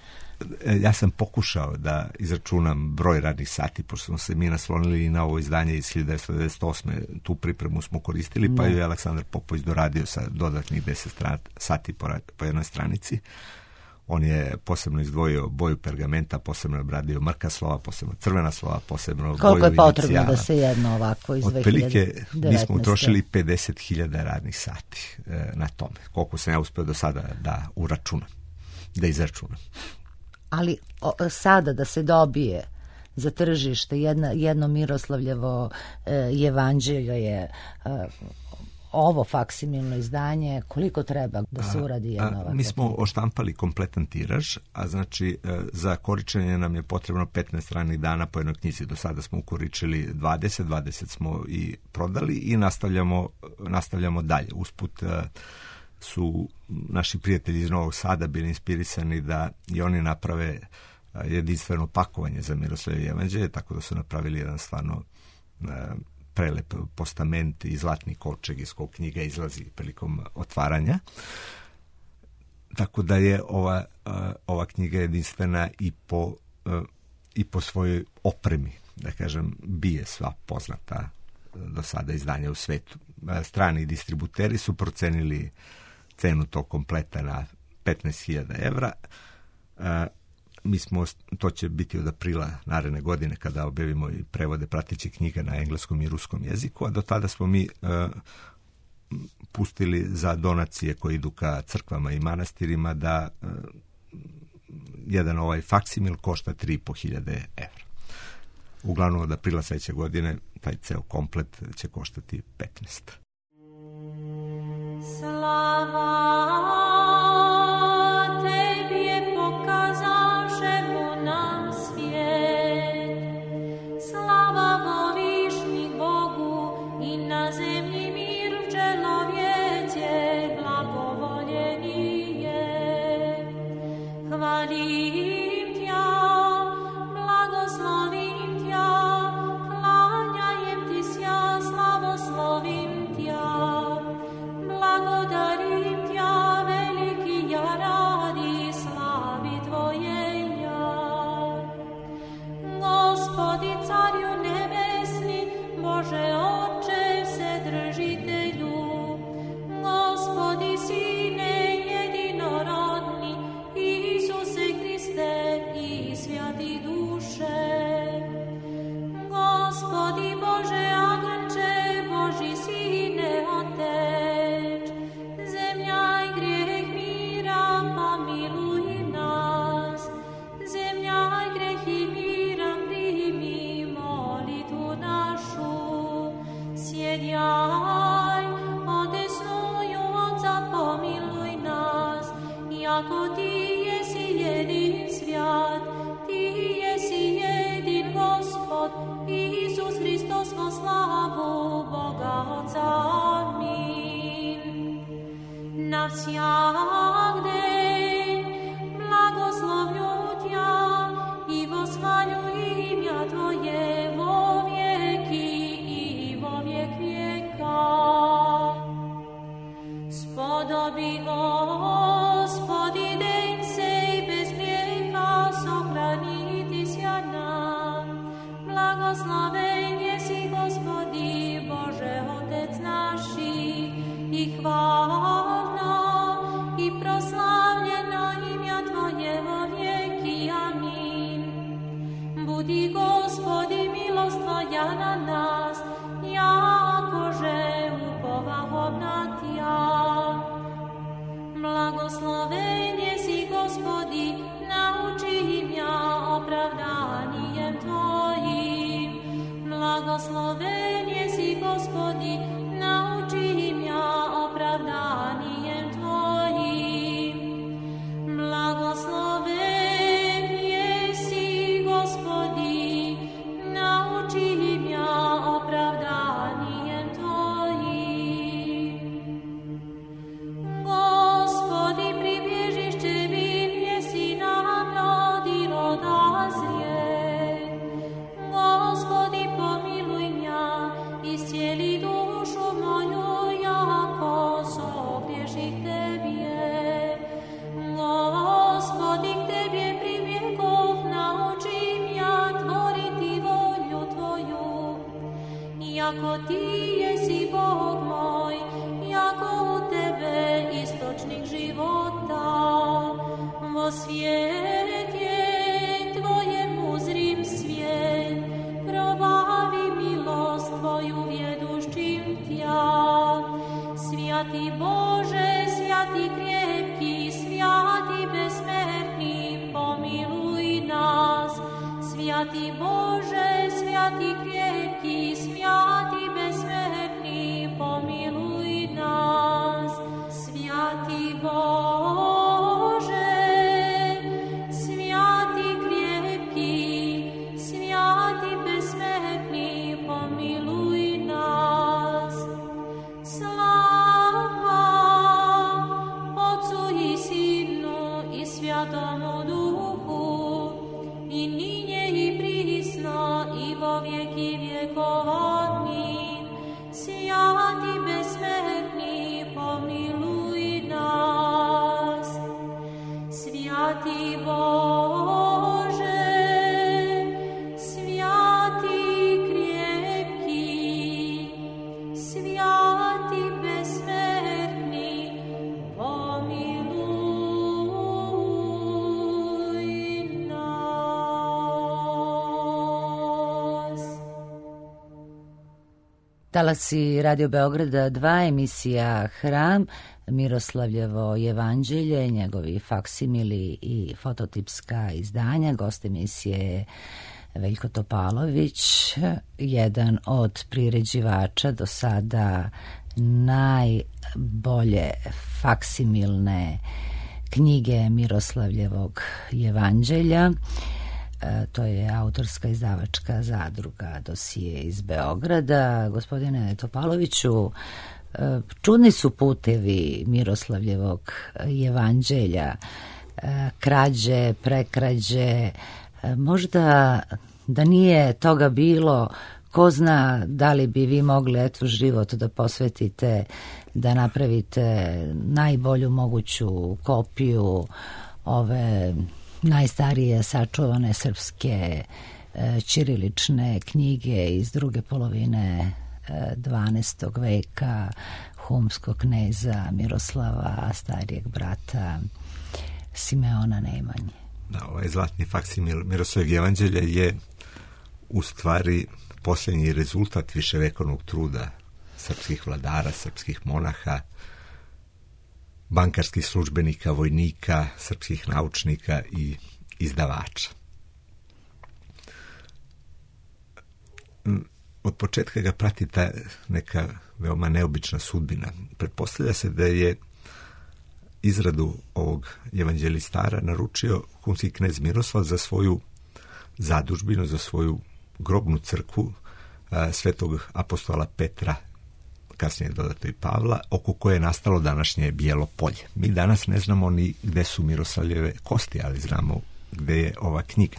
ja sam pokušao da izračunam broj radnih sati, pošto smo se mi naslonili i na ovo izdanje iz hiljadu devetsto devedeset osme, tu pripremu smo koristili, pa je Aleksandar Popović doradio sa dodatnih deset sati po, po jednoj stranici. On je posebno izdvojio boju pergamenta, posebno obradio mrka slova, posebno crvena slova, posebno boju inicijala. Koliko je potrebno da se jedno ovako iz dve hiljade devetnaeste? Otprilike mi smo utrošili pedeset hiljada radnih sati e, na tome. Koliko sam ja uspeo do sada da uračunam, da izračunam. Ali o, sada da se dobije za tržište jedna, jedno Miroslavljevo e, jevanđelje je e, ovo faksimilno izdanje, koliko treba da se uradi jedna ovakva? Mi smo oštampali kompletan tiraž, a znači za koričenje nam je potrebno petnaest radnih dana po jednoj knjizi. Do sada smo ukoričili dvadeset, dvadeset smo i prodali i nastavljamo, nastavljamo dalje. Usput su naši prijatelji iz Novog Sada bili inspirisani da i oni naprave jedinstveno pakovanje za Miroslavljevo jevanđelje, tako da su napravili jedan stvarno prelep postament i zlatni kovčeg iz kog knjiga izlazi prilikom otvaranja. Tako da je ova, ova knjiga jedinstvena i po, i po svojoj opremi, da kažem, bije sva poznata do sada izdanja u svetu. Strani distributeri su procenili cenu tog kompleta na petnaest hiljada evra. Mi smo, to će biti od aprila naredne godine kada objavimo i prevode pratećih knjiga na engleskom i ruskom jeziku, a do tada smo mi uh, pustili za donacije koje idu ka crkvama i manastirima da uh, jedan ovaj faksimil košta tri i po hiljade evra. Uglavnom od aprila sledeće godine taj ceo komplet će koštati petnaest. Slava tebi je pokazavšemu nam svijet. Slava volišni Bogu i na zemlji mir čelovjece blagovoljeni je. Hvalim tja, blagoslovim tja, klanjajem ti sja, slavoslovim tja. Благодарим Тя, велики я ради слави Твоей я. Господи, Царю небесни, Боже Отче, Вседržitelju, Господи, Sine jedinorodni, Isuse Hriste i Svjati duše. Gospodi Bože Agnče, Boži Sine Otec, zemlja i grijeh mira, pomiluj nas. Zemlja i grijeh i mira, primi molitvu našu. Sjedjaj, odesnuju Otca, pomiluj nas. Jako Ti jesi jedin svjat, Ti jesi jedin Gospod, Isus Hristos vo slavu Boga Otca. Amin. Na всяк день благословлю Тя и восхвалю имя Твое во веки и во век века. Сподоби, Господи, день сей без греха сохранити ся нам. Благословен еси, Господи, Боже Отец наши, и хвално, и прославljeno имя Твое во веки. Амин. Буди, Господи, милост Твоя на нас, якоже уповахом на Тя. Благословен еси, Господи, научи мя оправданием Твоим. Благословен еси, Господи, научи мя оправданием Твоим. Благословен еси, Господи, научи мя оправданием Твоим. Господи, прибежище мир еси нам роди рода зрет. Господи, помилуй мя, исцели душу мою, яко согреших Тебе. Господи, к Тебе прибегов, научи мя творити волю Твою. Яко Ти еси Бог мой, яко у Тебе источник живота. Во свете Твоем узрим свет, пробави милост Твою ведущим Тя. Святый Боже, святый крепкий, святый бессмертный, помилуй нас. Святый Боже, святый крепкий, святый бессмертный, помилуй нас. Святый Боже, святый крепкий, святый бессмертный, помилуй нас. Слава Отцу и Сыну и Святому Духу, и ныне и присно, и во веки веков. Аминь. Святый бессмертный, помилуй нас. Святый Боже, святый крепкий, святый бессмертный, помилуй нас. Talasi Radio Beograda dva, emisija Hram, Miroslavljevo evanđelje, njegovi faksimili i fototipska izdanja. Gost emisije je Veljko Topalović, jedan od priređivača do sada najbolje faksimilne knjige Miroslavljevog evanđelja. E, to je autorska izdavačka zadruga Dosije iz Beograda. Gospodine Topaloviću, e, čudni su putevi Miroslavljevog evanđelja, e, krađe, prekrađe, e, možda da nije toga bilo, ko zna da li bi vi mogli eto život da posvetite, da napravite najbolju moguću kopiju ove najstarije sačuvane srpske e, ćirilične knjige iz druge polovine e, dvanaestog veka humskog kneza Miroslava, starijeg brata Simeona Nemanje. Da, ovaj zlatni faksimil Miroslavljevog evanđelja je u stvari posljednji rezultat viševekovnog truda srpskih vladara, srpskih monaha, bankarskih službenika, vojnika, srpskih naučnika i izdavača. Od početka ga prati ta neka veoma neobična sudbina. Pretpostavlja se da je izradu ovog evanđelistara naručio humski knez Miroslav za svoju zadužbinu, za svoju grobnu crkvu a, svetog apostola Petra, kasnije dodato i Pavla, oko koje je nastalo današnje Bijelo polje. Mi danas ne znamo ni gde su Miroslavljeve kosti, ali znamo gde je ova knjiga.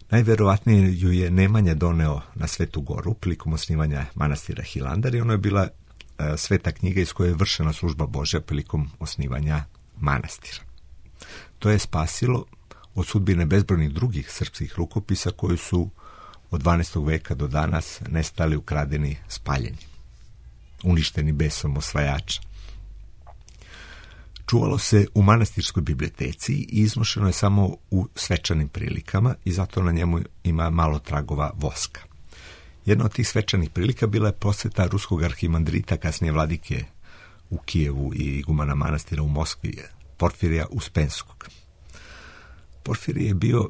Najverovatnije ju je Nemanja doneo na Svetu Goru prilikom osnivanja manastira Hilandar i ono je bila a, sveta knjiga iz koje je vršena služba Božja prilikom osnivanja manastira. To je spasilo od sudbine bezbrojnih drugih srpskih rukopisa koji su od dvanaestog veka do danas nestali, ukradeni, spaljeni, uništeni besom osvajača. Čuvalo se u manastirskoj biblioteci i iznošeno je samo u svečanim prilikama i zato na njemu ima malo tragova voska. Jedna od tih svečanih prilika bila je posjeta ruskog arhimandrita, kasnije vladike u Kijevu i igumana manastira u Moskvi, Porfirija Uspenskog. Porfirije je bio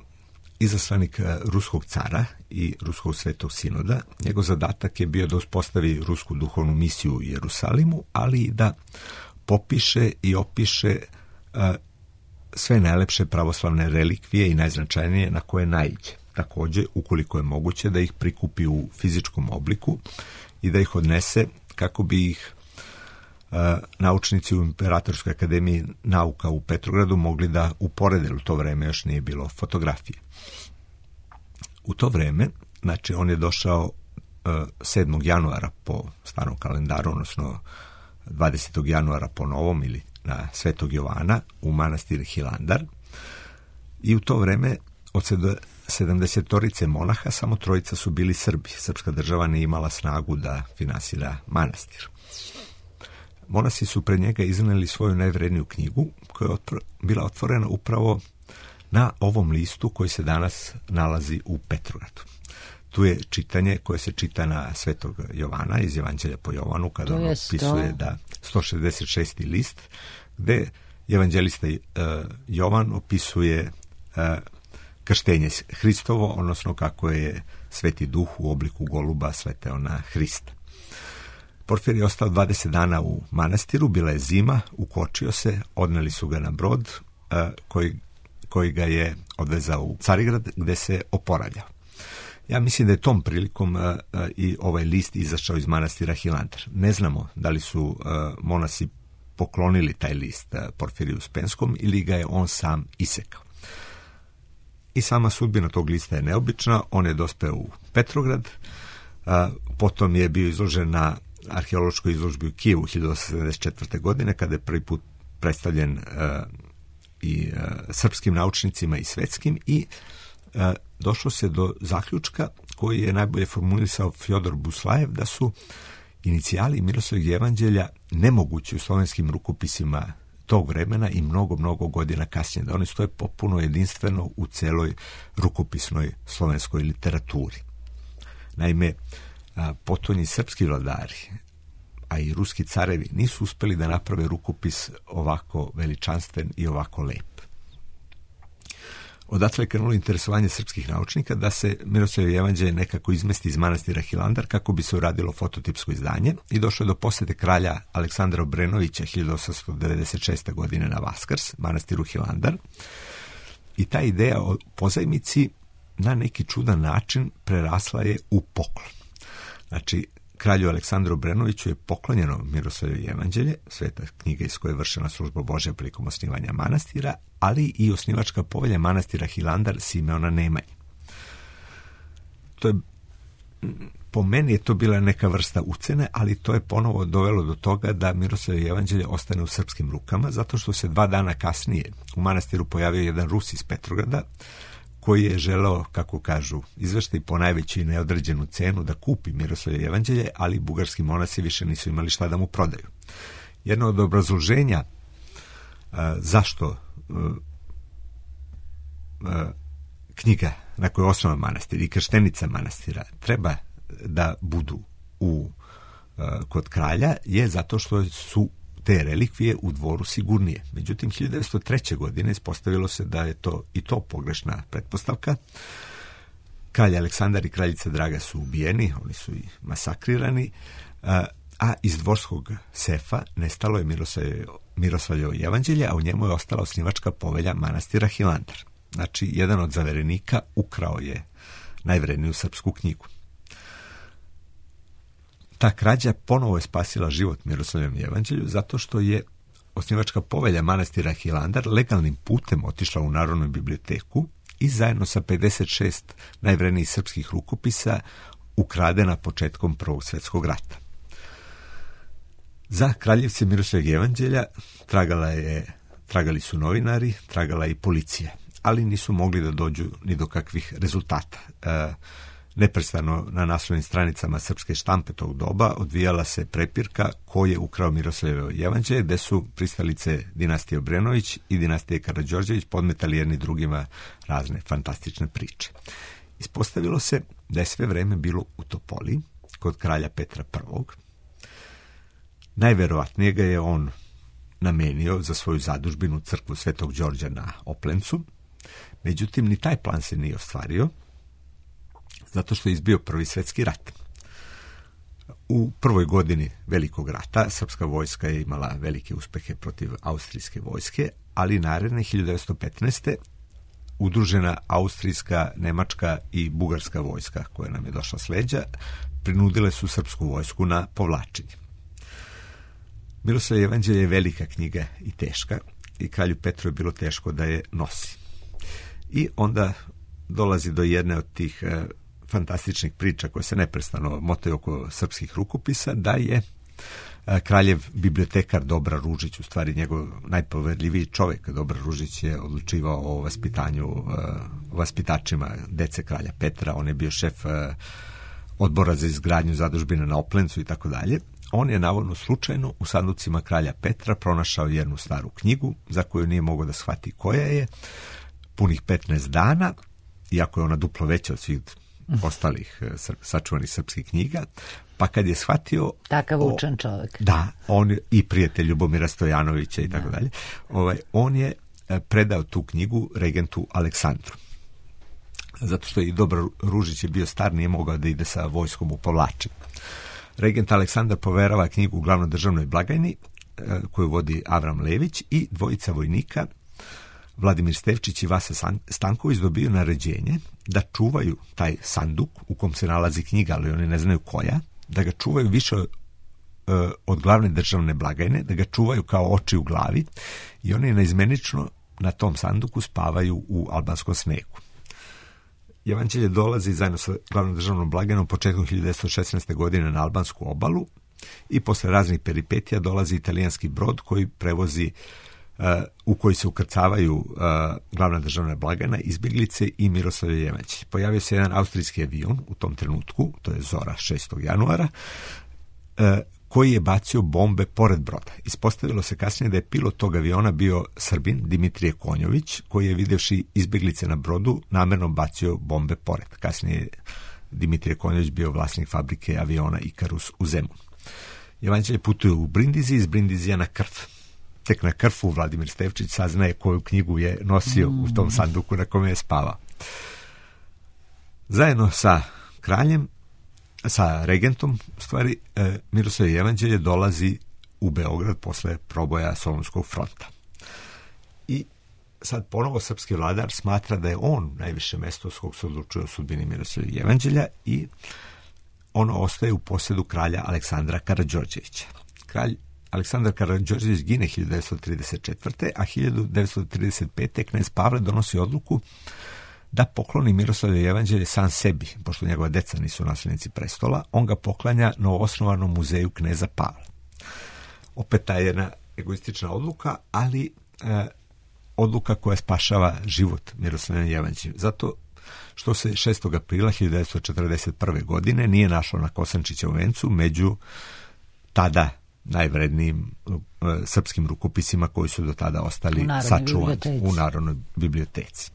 izaslanik ruskog cara i ruskog svetog sinoda. Njegov zadatak je bio da uspostavi rusku duhovnu misiju u Jerusalimu, ali i da popiše i opiše uh, sve najlepše pravoslavne relikvije i najznačajnije na koje naiđe. Također, ukoliko je moguće, da ih prikupi u fizičkom obliku i da ih odnese kako bi ih Uh, naučnici u Imperatorskoj akademiji nauka u Petrogradu mogli da uporede. U to vreme još nije bilo fotografije. U to vreme, znači on je došao uh, sedmog januara po starom kalendaru, odnosno dvadesetog januara po novom ili na Svetog Jovana u manastir Hilandar i u to vreme od sedamdesetorice monaha samo trojica su bili Srbi. Srpska država nije imala snagu da finansira manastir. Monasi su pred njega iznijeli svoju najvredniju knjigu koja je otpro, bila otvorena upravo na ovom listu koji se danas nalazi u Petrogradu. Tu je čitanje koje se čita na Svetog Jovana iz Evanđelja po Jovanu, kada on opisuje da sto šezdeset šesti list, gde evanđelista uh, Jovan opisuje uh, krštenje Hristovo, odnosno kako je Sveti Duh u obliku goluba sleteo na Hrista. Porfir je ostao dvadeset dana u manastiru, bila je zima, ukočio se, odneli su ga na brod uh, koji, koji ga je odvezao u Carigrad gde se oporavljao. Ja mislim da je tom prilikom uh, uh, i ovaj list izašao iz manastira Hilandar. Ne znamo da li su uh, monasi poklonili taj list uh, Porfiriju Uspenskom ili ga je on sam isekao. I sama sudbina tog lista je neobična. On je dospeo u Petrograd, uh, potom je bio izložen na arheološkoj izložbi u Kijevu hiljadu osamsto sedamdeset četvrte. godine, kada je prvi put predstavljen uh, i uh, srpskim naučnicima i svetskim i uh, došlo se do zaključka koji je najbolje formulisao Fjodor Buslajev, da su inicijali Miroslavljevog evanđelja nemogući u slovenskim rukopisima tog vremena i mnogo, mnogo godina kasnije, da oni stoje popuno jedinstveno u celoj rukopisnoj slovenskoj literaturi. Naime, a, potonji srpski vladari, a i ruski carevi, nisu uspeli da naprave rukopis ovako veličanstven i ovako lep. Odatle je krenulo interesovanje srpskih naučnika da se Miroslavljevo jevanđelje nekako izmesti iz manastira Hilandar kako bi se uradilo fototipsko izdanje i došlo je do posete kralja Aleksandra Obrenovića hiljadu osamsto devedeset šeste. godine na Vaskrs, manastiru Hilandar. I ta ideja o pozajmici na neki čudan način prerasla je u poklon. Znači, kralju Aleksandru Obrenoviću je poklonjeno Miroslavljevo jevanđelje, sveta knjiga iz koje je vršena služba Božja prilikom osnivanja manastira, ali i osnivačka povelja manastira Hilandar Simeona Nemanje. To je, po meni je to bila neka vrsta ucene, ali to je ponovo dovelo do toga da Miroslavljevo jevanđelje ostane u srpskim rukama, zato što se dva dana kasnije u manastiru pojavio jedan Rus iz Petrograda, koji je želeo, kako kažu izveštaj, po najveću i neodređenu cenu da kupi Miroslavljevo jevanđelje, ali bugarski monasi više nisu imali šta da mu prodaju. Jedno od obrazloženja a, zašto a, a, knjiga na kojoj je osnovan manastir i krštenica manastira treba da budu u, a, kod kralja je zato što su te relikvije u dvoru sigurnije. Međutim, hiljadu devetsto treće. godine ispostavilo se da je to i to pogrešna pretpostavka. Kralj Aleksandar i kraljica Draga su ubijeni, oni su i masakrirani, a, a iz dvorskog sefa nestalo je Miroslavljevo, Miroslavljevo jevanđelje, a u njemu je ostala osnivačka povelja manastira Hilandar. Znači, jedan od zaverenika ukrao je najvredniju srpsku knjigu. Ta krađa ponovo je spasila život Miroslavljevom jevanđelju zato što je osnivačka povelja manastira Hilandar legalnim putem otišla u Narodnu biblioteku i zajedno sa pedeset šest najvrednijih srpskih rukopisa ukradena početkom Prvog svjetskog rata. Za kraljevce Miroslavljevog jevanđelja tragala je, tragali su novinari, tragala je i policija, ali nisu mogli da dođu ni do kakvih rezultata. E, Neprestano na naslovnim stranicama srpske štampe tog doba odvijala se prepirka ko je ukrao Miroslavljevo jevanđelje, gde su pristalice dinastije Obrenović i dinastije Karađorđević podmetali jedni drugima razne fantastične priče. Ispostavilo se da je sve vreme bilo u Topoli, kod kralja Petra prvog. Najverovatnije ga je on namenio za svoju zadužbinu crkvu Svetog Đorđa na Oplencu. Međutim, ni taj plan se nije ostvario, zato što je izbio Prvi svjetski rat. U prvoj godini Velikog rata srpska vojska je imala velike uspehe protiv austrijske vojske, ali naredne hiljadu devetsto petnaeste. udružena austrijska, nemačka i bugarska vojska koja nam je došla s leđa prinudile su srpsku vojsku na povlačenje. Miroslavljevo jevanđelje je velika knjiga i teška i kralju Petru je bilo teško da je nosi. I onda dolazi do jedne od tih e, fantastičnih priča koje se neprestano motaju oko srpskih rukopisa, da je e, kraljev bibliotekar Dobra Ružić, u stvari njegov najpoverljiviji čovjek. Dobra Ružić je odlučivao o vaspitanju, e, vaspitačima dece kralja Petra, on je bio šef e, odbora za izgradnju zadužbina na Oplencu i tako dalje. On je navodno slučajno u sanducima kralja Petra pronašao jednu staru knjigu za koju nije mogao da shvati koja je, punih petnaest dana, iako je ona duplo veća od svih ostalih sačuvanih srpskih knjiga, pa kad je shvatio... Takav učen čovjek. Da, on i prijatelj Ljubomira Stojanovića i tako dalje. Ovaj, on je predao tu knjigu regentu Aleksandru. Zato što je i Dobra Ružić je bio star, nije mogao da ide sa vojskom u povlačenje. Regent Aleksandar poverava knjigu u glavnoj državnoj blagajni, koju vodi Avram Lević, i dvojica vojnika, Vladimir Stevčić i Vasa Stanković, dobiju naređenje da čuvaju taj sanduk u kom se nalazi knjiga, ali oni ne znaju koja, da ga čuvaju više od glavne državne blagajne, da ga čuvaju kao oči u glavi, i oni neizmenično na tom sanduku spavaju u albanskom snegu. Jevanđelje dolazi zajedno sa glavnom državnom blagajnom početkom hiljadu devetsto šesnaeste. godine na albansku obalu i posle raznih peripetija dolazi italijanski brod koji prevozi, uh, u koji se ukrcavaju uh, glavna državna blagajna, izbjeglice i Miroslavljevo jevanđelje. Pojavio se jedan austrijski avion u tom trenutku, to je Zora šestog januara, uh, koji je bacio bombe pored broda. Ispostavilo se kasnije da je pilot tog aviona bio Srbin Dimitrije Konjović, koji je, videvši izbjeglice na brodu, namerno bacio bombe pored. Kasnije Dimitrije Konjović bio vlasnik fabrike aviona Ikarus u Zemunu. Evanđelje putuje u Brindisi, iz Brindizija na Krf. Tek na Krfu Vladimir Stevčić saznaje koju knjigu je nosio u tom sanduku na kome je spavao. Zajedno sa kraljem, sa regentom, u stvari, Miroslavljevo Jevanđelje dolazi u Beograd posle proboja Solunskog fronta. I sad ponovo srpski vladar smatra da je on najviše mesto s kog se odlučuje o sudbini Miroslavljevog Jevanđelja i ono ostaje u posjedu kralja Aleksandra Karađorđevića. Kralj Aleksandar Karađorđević gine hiljadu devetsto trideset četvrte. a hiljadu devetsto trideset pete. knez Pavle donosi odluku da pokloni Miroslavljevo Jevanđelje sam sebi, pošto njegova deca nisu nasljednici prestola. On ga poklanja novoosnovanom muzeju kneza Pavla. Opet ta jedna egoistična odluka, ali e, odluka koja spašava život Miroslavljevom Jevanđelju. Zato što se šestog aprila hiljadu devetsto četrdeset prve. godine nije našlo na Kosančićevom vencu među tada najvrednijim uh, srpskim rukopisima koji su do tada ostali sačuvani u Narodnoj biblioteci.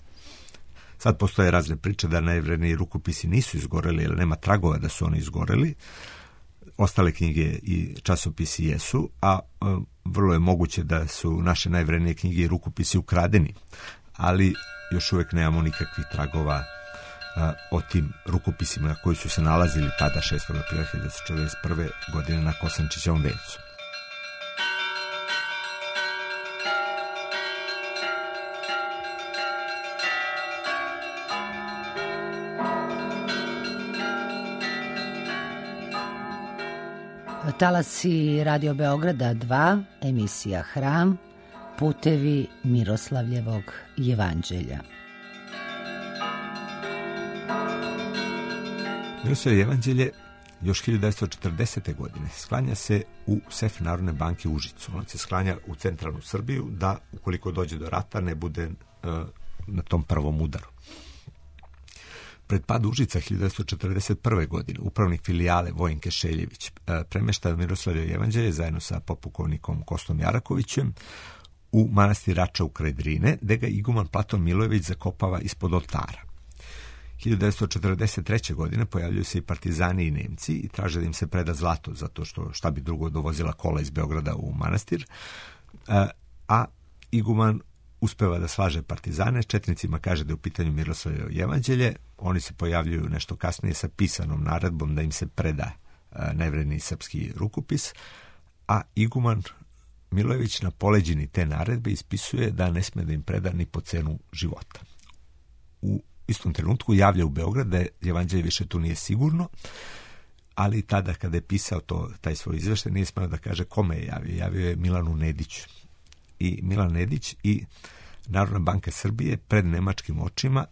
Sad postoje razne priče da najvredniji rukopisi nisu izgoreli, jer nema tragova da su oni izgoreli. Ostale knjige i časopisi jesu, a uh, vrlo je moguće da su naše najvrednije knjige i rukopisi ukradeni, ali još uvijek nemamo nikakvih tragova a, o tim rukopisima koji su se nalazili tada šestog aprila hiljadu devetsto četrdeset prve. godine na Kosančićevom vencu. Talasi Radio Beograda dva, emisija Hram, putevi Miroslavljevog Jevanđelja. Miroslavljevo Jevanđelje još hiljadu devetsto četrdesete. godine sklanja se u sef Narodne banke u Užicu. On se sklanja u centralnu Srbiju da, ukoliko dođe do rata, ne bude uh, na tom prvom udaru. Pred pad Užica hiljadu devetsto četrdeset prve. godine upravnik filijale Vojinke Šeljević premešta Miroslavljevo Jevanđelje zajedno sa popukovnikom Kostom Jarakovićem u manastir Rača kraj Drine, gde ga iguman Platon Milojević zakopava ispod oltara. hiljadu devetsto četrdeset treće. godine pojavljuju se i partizani i Nemci i traže da im se preda zlato, zato što šta bi drugo dovozila kola iz Beograda u manastir, a iguman uspeva da slaže partizane, četnicima kaže da je u pitanju Miroslavljevo Jevanđelje, oni se pojavljuju nešto kasnije sa pisanom naredbom da im se preda najvredniji srpski rukopis, a iguman Milojević na poleđini te naredbe ispisuje da ne sme da im preda ni po cenu života. U istom trenutku javlja u Beograd da je Jevanđelje više tu nije sigurno, ali tada kada je pisao to, taj svoj izveštaj nije smeo da kaže kome je javio. Javio je Milanu Nediću. I Milan Nedić i Narodna banka Srbije pred nemačkim očima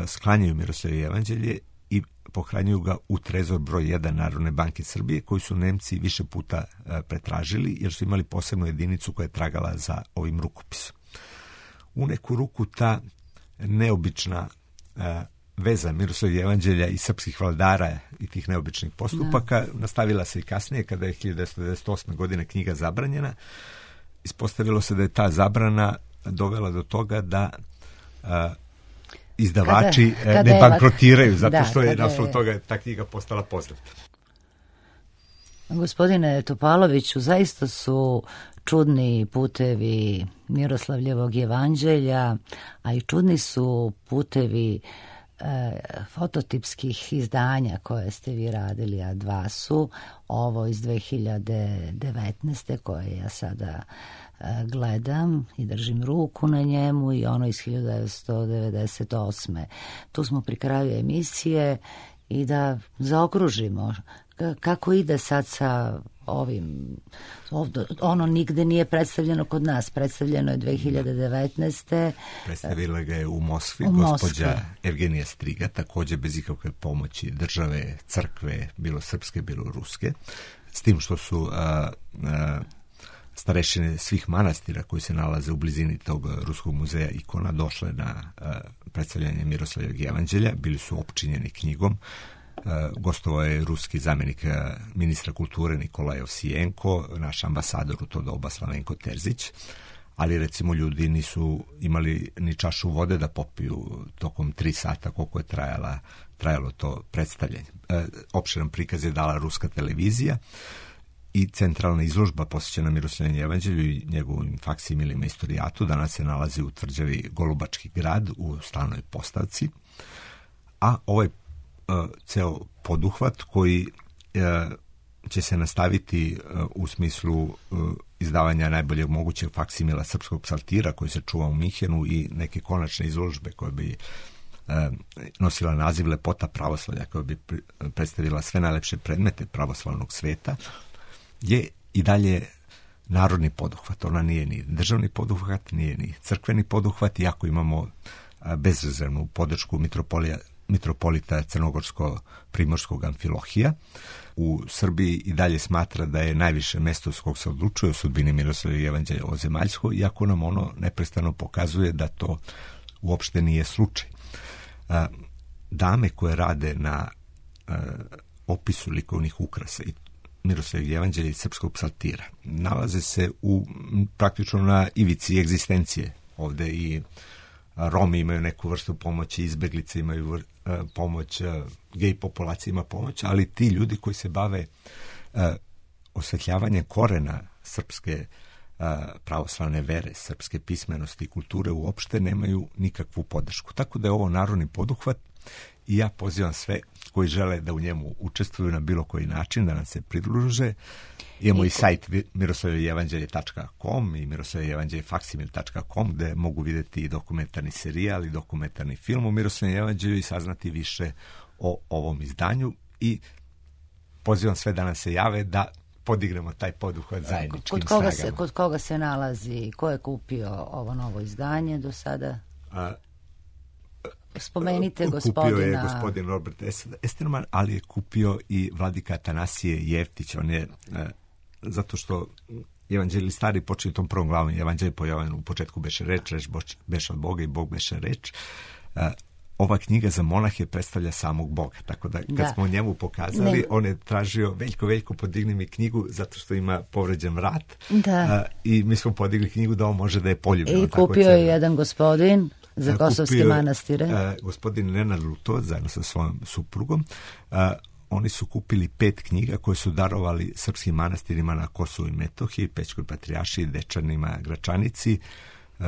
sklanjaju Miroslavljevo Jevanđelje i pohranjuju ga u trezor broj jedan Narodne banke Srbije, koji su Nemci više puta pretražili, jer su imali posebnu jedinicu koja je tragala za ovim rukopisom. U neku ruku ta neobična veza Miroslavljevog Jevanđelja i srpskih vladara i tih neobičnih postupaka da. nastavila se i kasnije, kada je hiljadu devetsto devedeset osme. godine knjiga zabranjena. Ispostavilo se da je ta zabrana dovela do toga da a, izdavači kada, kada ne bankrotiraju, zato da, što je na osnovu toga ta knjiga postala poznata. Gospodine Topaloviću, zaista su čudni putevi Miroslavljevog Jevanđelja, a i čudni su putevi e, fototipskih izdanja koje ste vi radili, a dva su ovo iz dve hiljade devetnaeste. koje ja sada e, gledam i držim ruku na njemu, i ono iz hiljadu devetsto devedeset osme. Tu smo pri kraju emisije i da zaokružimo kako ide sad sa ovim, ovdje, ono nigde nije predstavljeno kod nas, predstavljeno je dve hiljade devetnaeste. Predstavila ga je u Moskvi, u gospođa Moskvi. Evgenija Striga, također bez ikakve pomoći države, crkve, bilo srpske, bilo ruske, s tim što su a, a, starešine svih manastira koji se nalaze u blizini tog ruskog muzeja ikona došle na a, predstavljanje Miroslavljevog Jevanđelja, bili su opčinjeni knjigom. Uh, gostovao je ruski zamjenik uh, ministra kulture Nikolaj Ovsijenko, naš ambasador u to doba Slavenko Terzić, ali recimo ljudi nisu imali ni čašu vode da popiju tokom tri sata koliko je trajala, trajalo to predstavljanje. E, opširan prikaz je dala ruska televizija i centralna izložba posvećena Miroslavljevom jevanđelju i njegovim faksimilima istorijatu danas se nalazi u tvrđavi Golubački grad u stalnoj postavci, a ovaj e, ceo poduhvat koji e, će se nastaviti uh, u smislu uh, izdavanja najboljeg mogućeg faksimila srpskog psaltira koji se čuva u Minhenu i neke konačne izložbe koje bi uh, nosila naziv Lepota pravoslavlja, koja bi predstavila sve najlepše predmete pravoslavnog sveta, je i dalje narodni poduhvat. Ona nije ni državni poduhvat, nije ni crkveni poduhvat, iako imamo uh, bezrezervnu podršku mitropolija mitropolita Crnogorsko-Primorskog Amfilohija. U Srbiji i dalje smatra da je najviše mesto s kog se odlučuje o sudbini Miroslavljevog jevanđelja ozemaljsko, iako nam ono neprestano pokazuje da to uopšte nije slučaj. Dame koje rade na opisu likovnih ukrasa i Miroslavljevog jevanđelja i srpskog psaltira nalaze se u praktično na ivici egzistencije ovde i Romi imaju neku vrstu pomoći, izbeglice imaju vr, pomoć, gej populacija ima pomoć, ali ti ljudi koji se bave uh, osvetljavanjem korena srpske uh, pravoslavne vere, srpske pismenosti i kulture uopšte nemaju nikakvu podršku. Tako da je ovo narodni poduhvat i ja pozivam sve koji žele da u njemu učestvuju na bilo koji način, da nam se pridruže. Imamo i, i sajt miroslavljevojevanđelje tačka com i miroslavljevojevanđelje faksimil tačka com gde mogu vidjeti i dokumentarni serijal i dokumentarni film o Miroslavljevom jevanđelju i saznati više o ovom izdanju i pozivam sve da nam se jave da podignemo taj poduhvat zajedničkim kod koga snagama. Se, kod koga se nalazi, ko je kupio ovo novo izdanje do sada? A, Spomenite gospodina... Kupio je gospodin Robert Esterman, ali je kupio i vladika Atanasije Jeftić. On je, e, zato što evanđelji stari počeli tom prvom glavom, evanđelje po Jovanu, u početku beše reč, reč beše od Boga i Bog beše reč. E, ova knjiga za monahe predstavlja samog Boga, tako da kad da. smo njemu pokazali, ne. on je tražio veljko, veljko podigni mi knjigu zato što ima povređen vrat da. e, i mi smo podigli knjigu da on može da je poljubi. I kupio je jedan gospodin za Kosovske kupio, manastire. Uh, gospodin Nenad Lutovac zajedno sa svojom suprugom. Uh, oni su kupili pet knjiga koje su darovali srpskim manastirima na Kosovu i Metohiji, Pećkoj patrijaršiji, Dečanima, Gračanici, uh,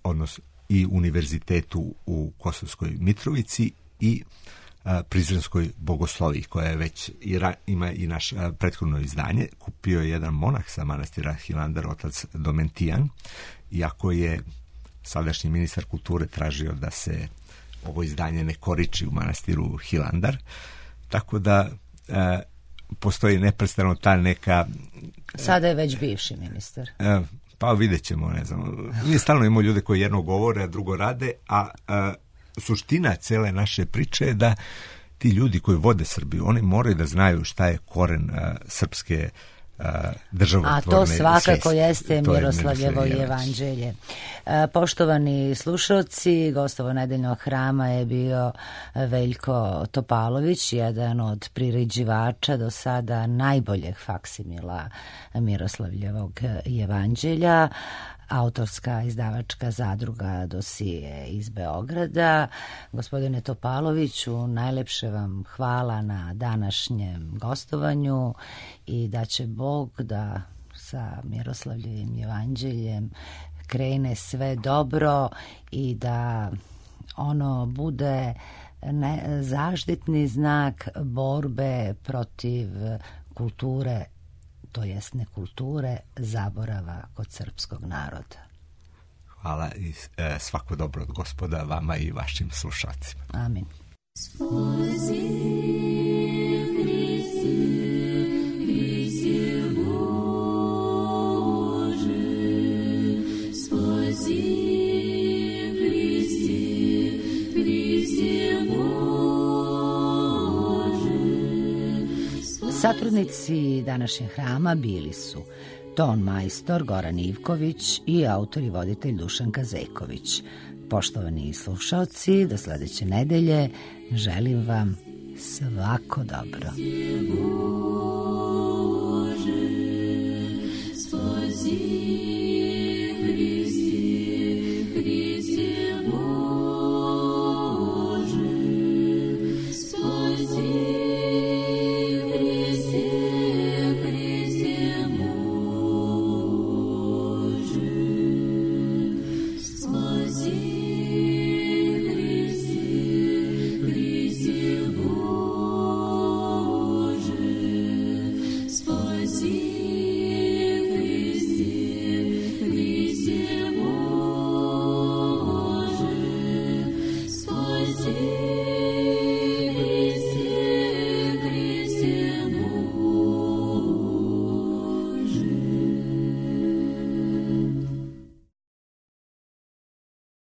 odnosno i univerzitetu u Kosovskoj Mitrovici i uh, Prizrenskoj bogosloviji, koja je već i ra, ima i naš uh, prethodno izdanje. Kupio je jedan monah sa manastira Hilandar, otac Domentijan, iako je sadašnji ministar kulture tražio da se ovo izdanje ne koriči u manastiru Hilandar. Tako da e, postoji neprestano ta neka... E, Sada je već bivši ministar. E, pa vidjet ćemo, ne znam. Mi stalno imamo ljude koji jedno govore, a drugo rade, a, a suština cele naše priče je da ti ljudi koji vode Srbiju, oni moraju da znaju šta je koren a, srpske a to svakako svijesti. Jeste Miroslavljevo jevanđelje. Poštovani slušalci, gostovo nedeljnog hrama je bio Veljko Topalović, jedan od priređivača do sada najboljeg faksimila Miroslavljevog jevanđelja, autorska izdavačka zadruga Dosije iz Beograda. Gospodine Topaloviću, najlepše vam hvala na današnjem gostovanju i da će Bog da sa Miroslavljevim jevanđeljem krene sve dobro i da ono bude ne, zaštitni znak borbe protiv kulture, to jest nekulture, zaborava kod srpskog naroda. Hvala i e, svako dobro od Gospoda vama i vašim slušacima. Amin. Satrudnici današnjeg hrama bili su ton majstor Goran Ivković i autor i voditelj Dušan Kazeković. Poštovani slušalci, do sledeće nedelje želim vam svako dobro. Spozi zid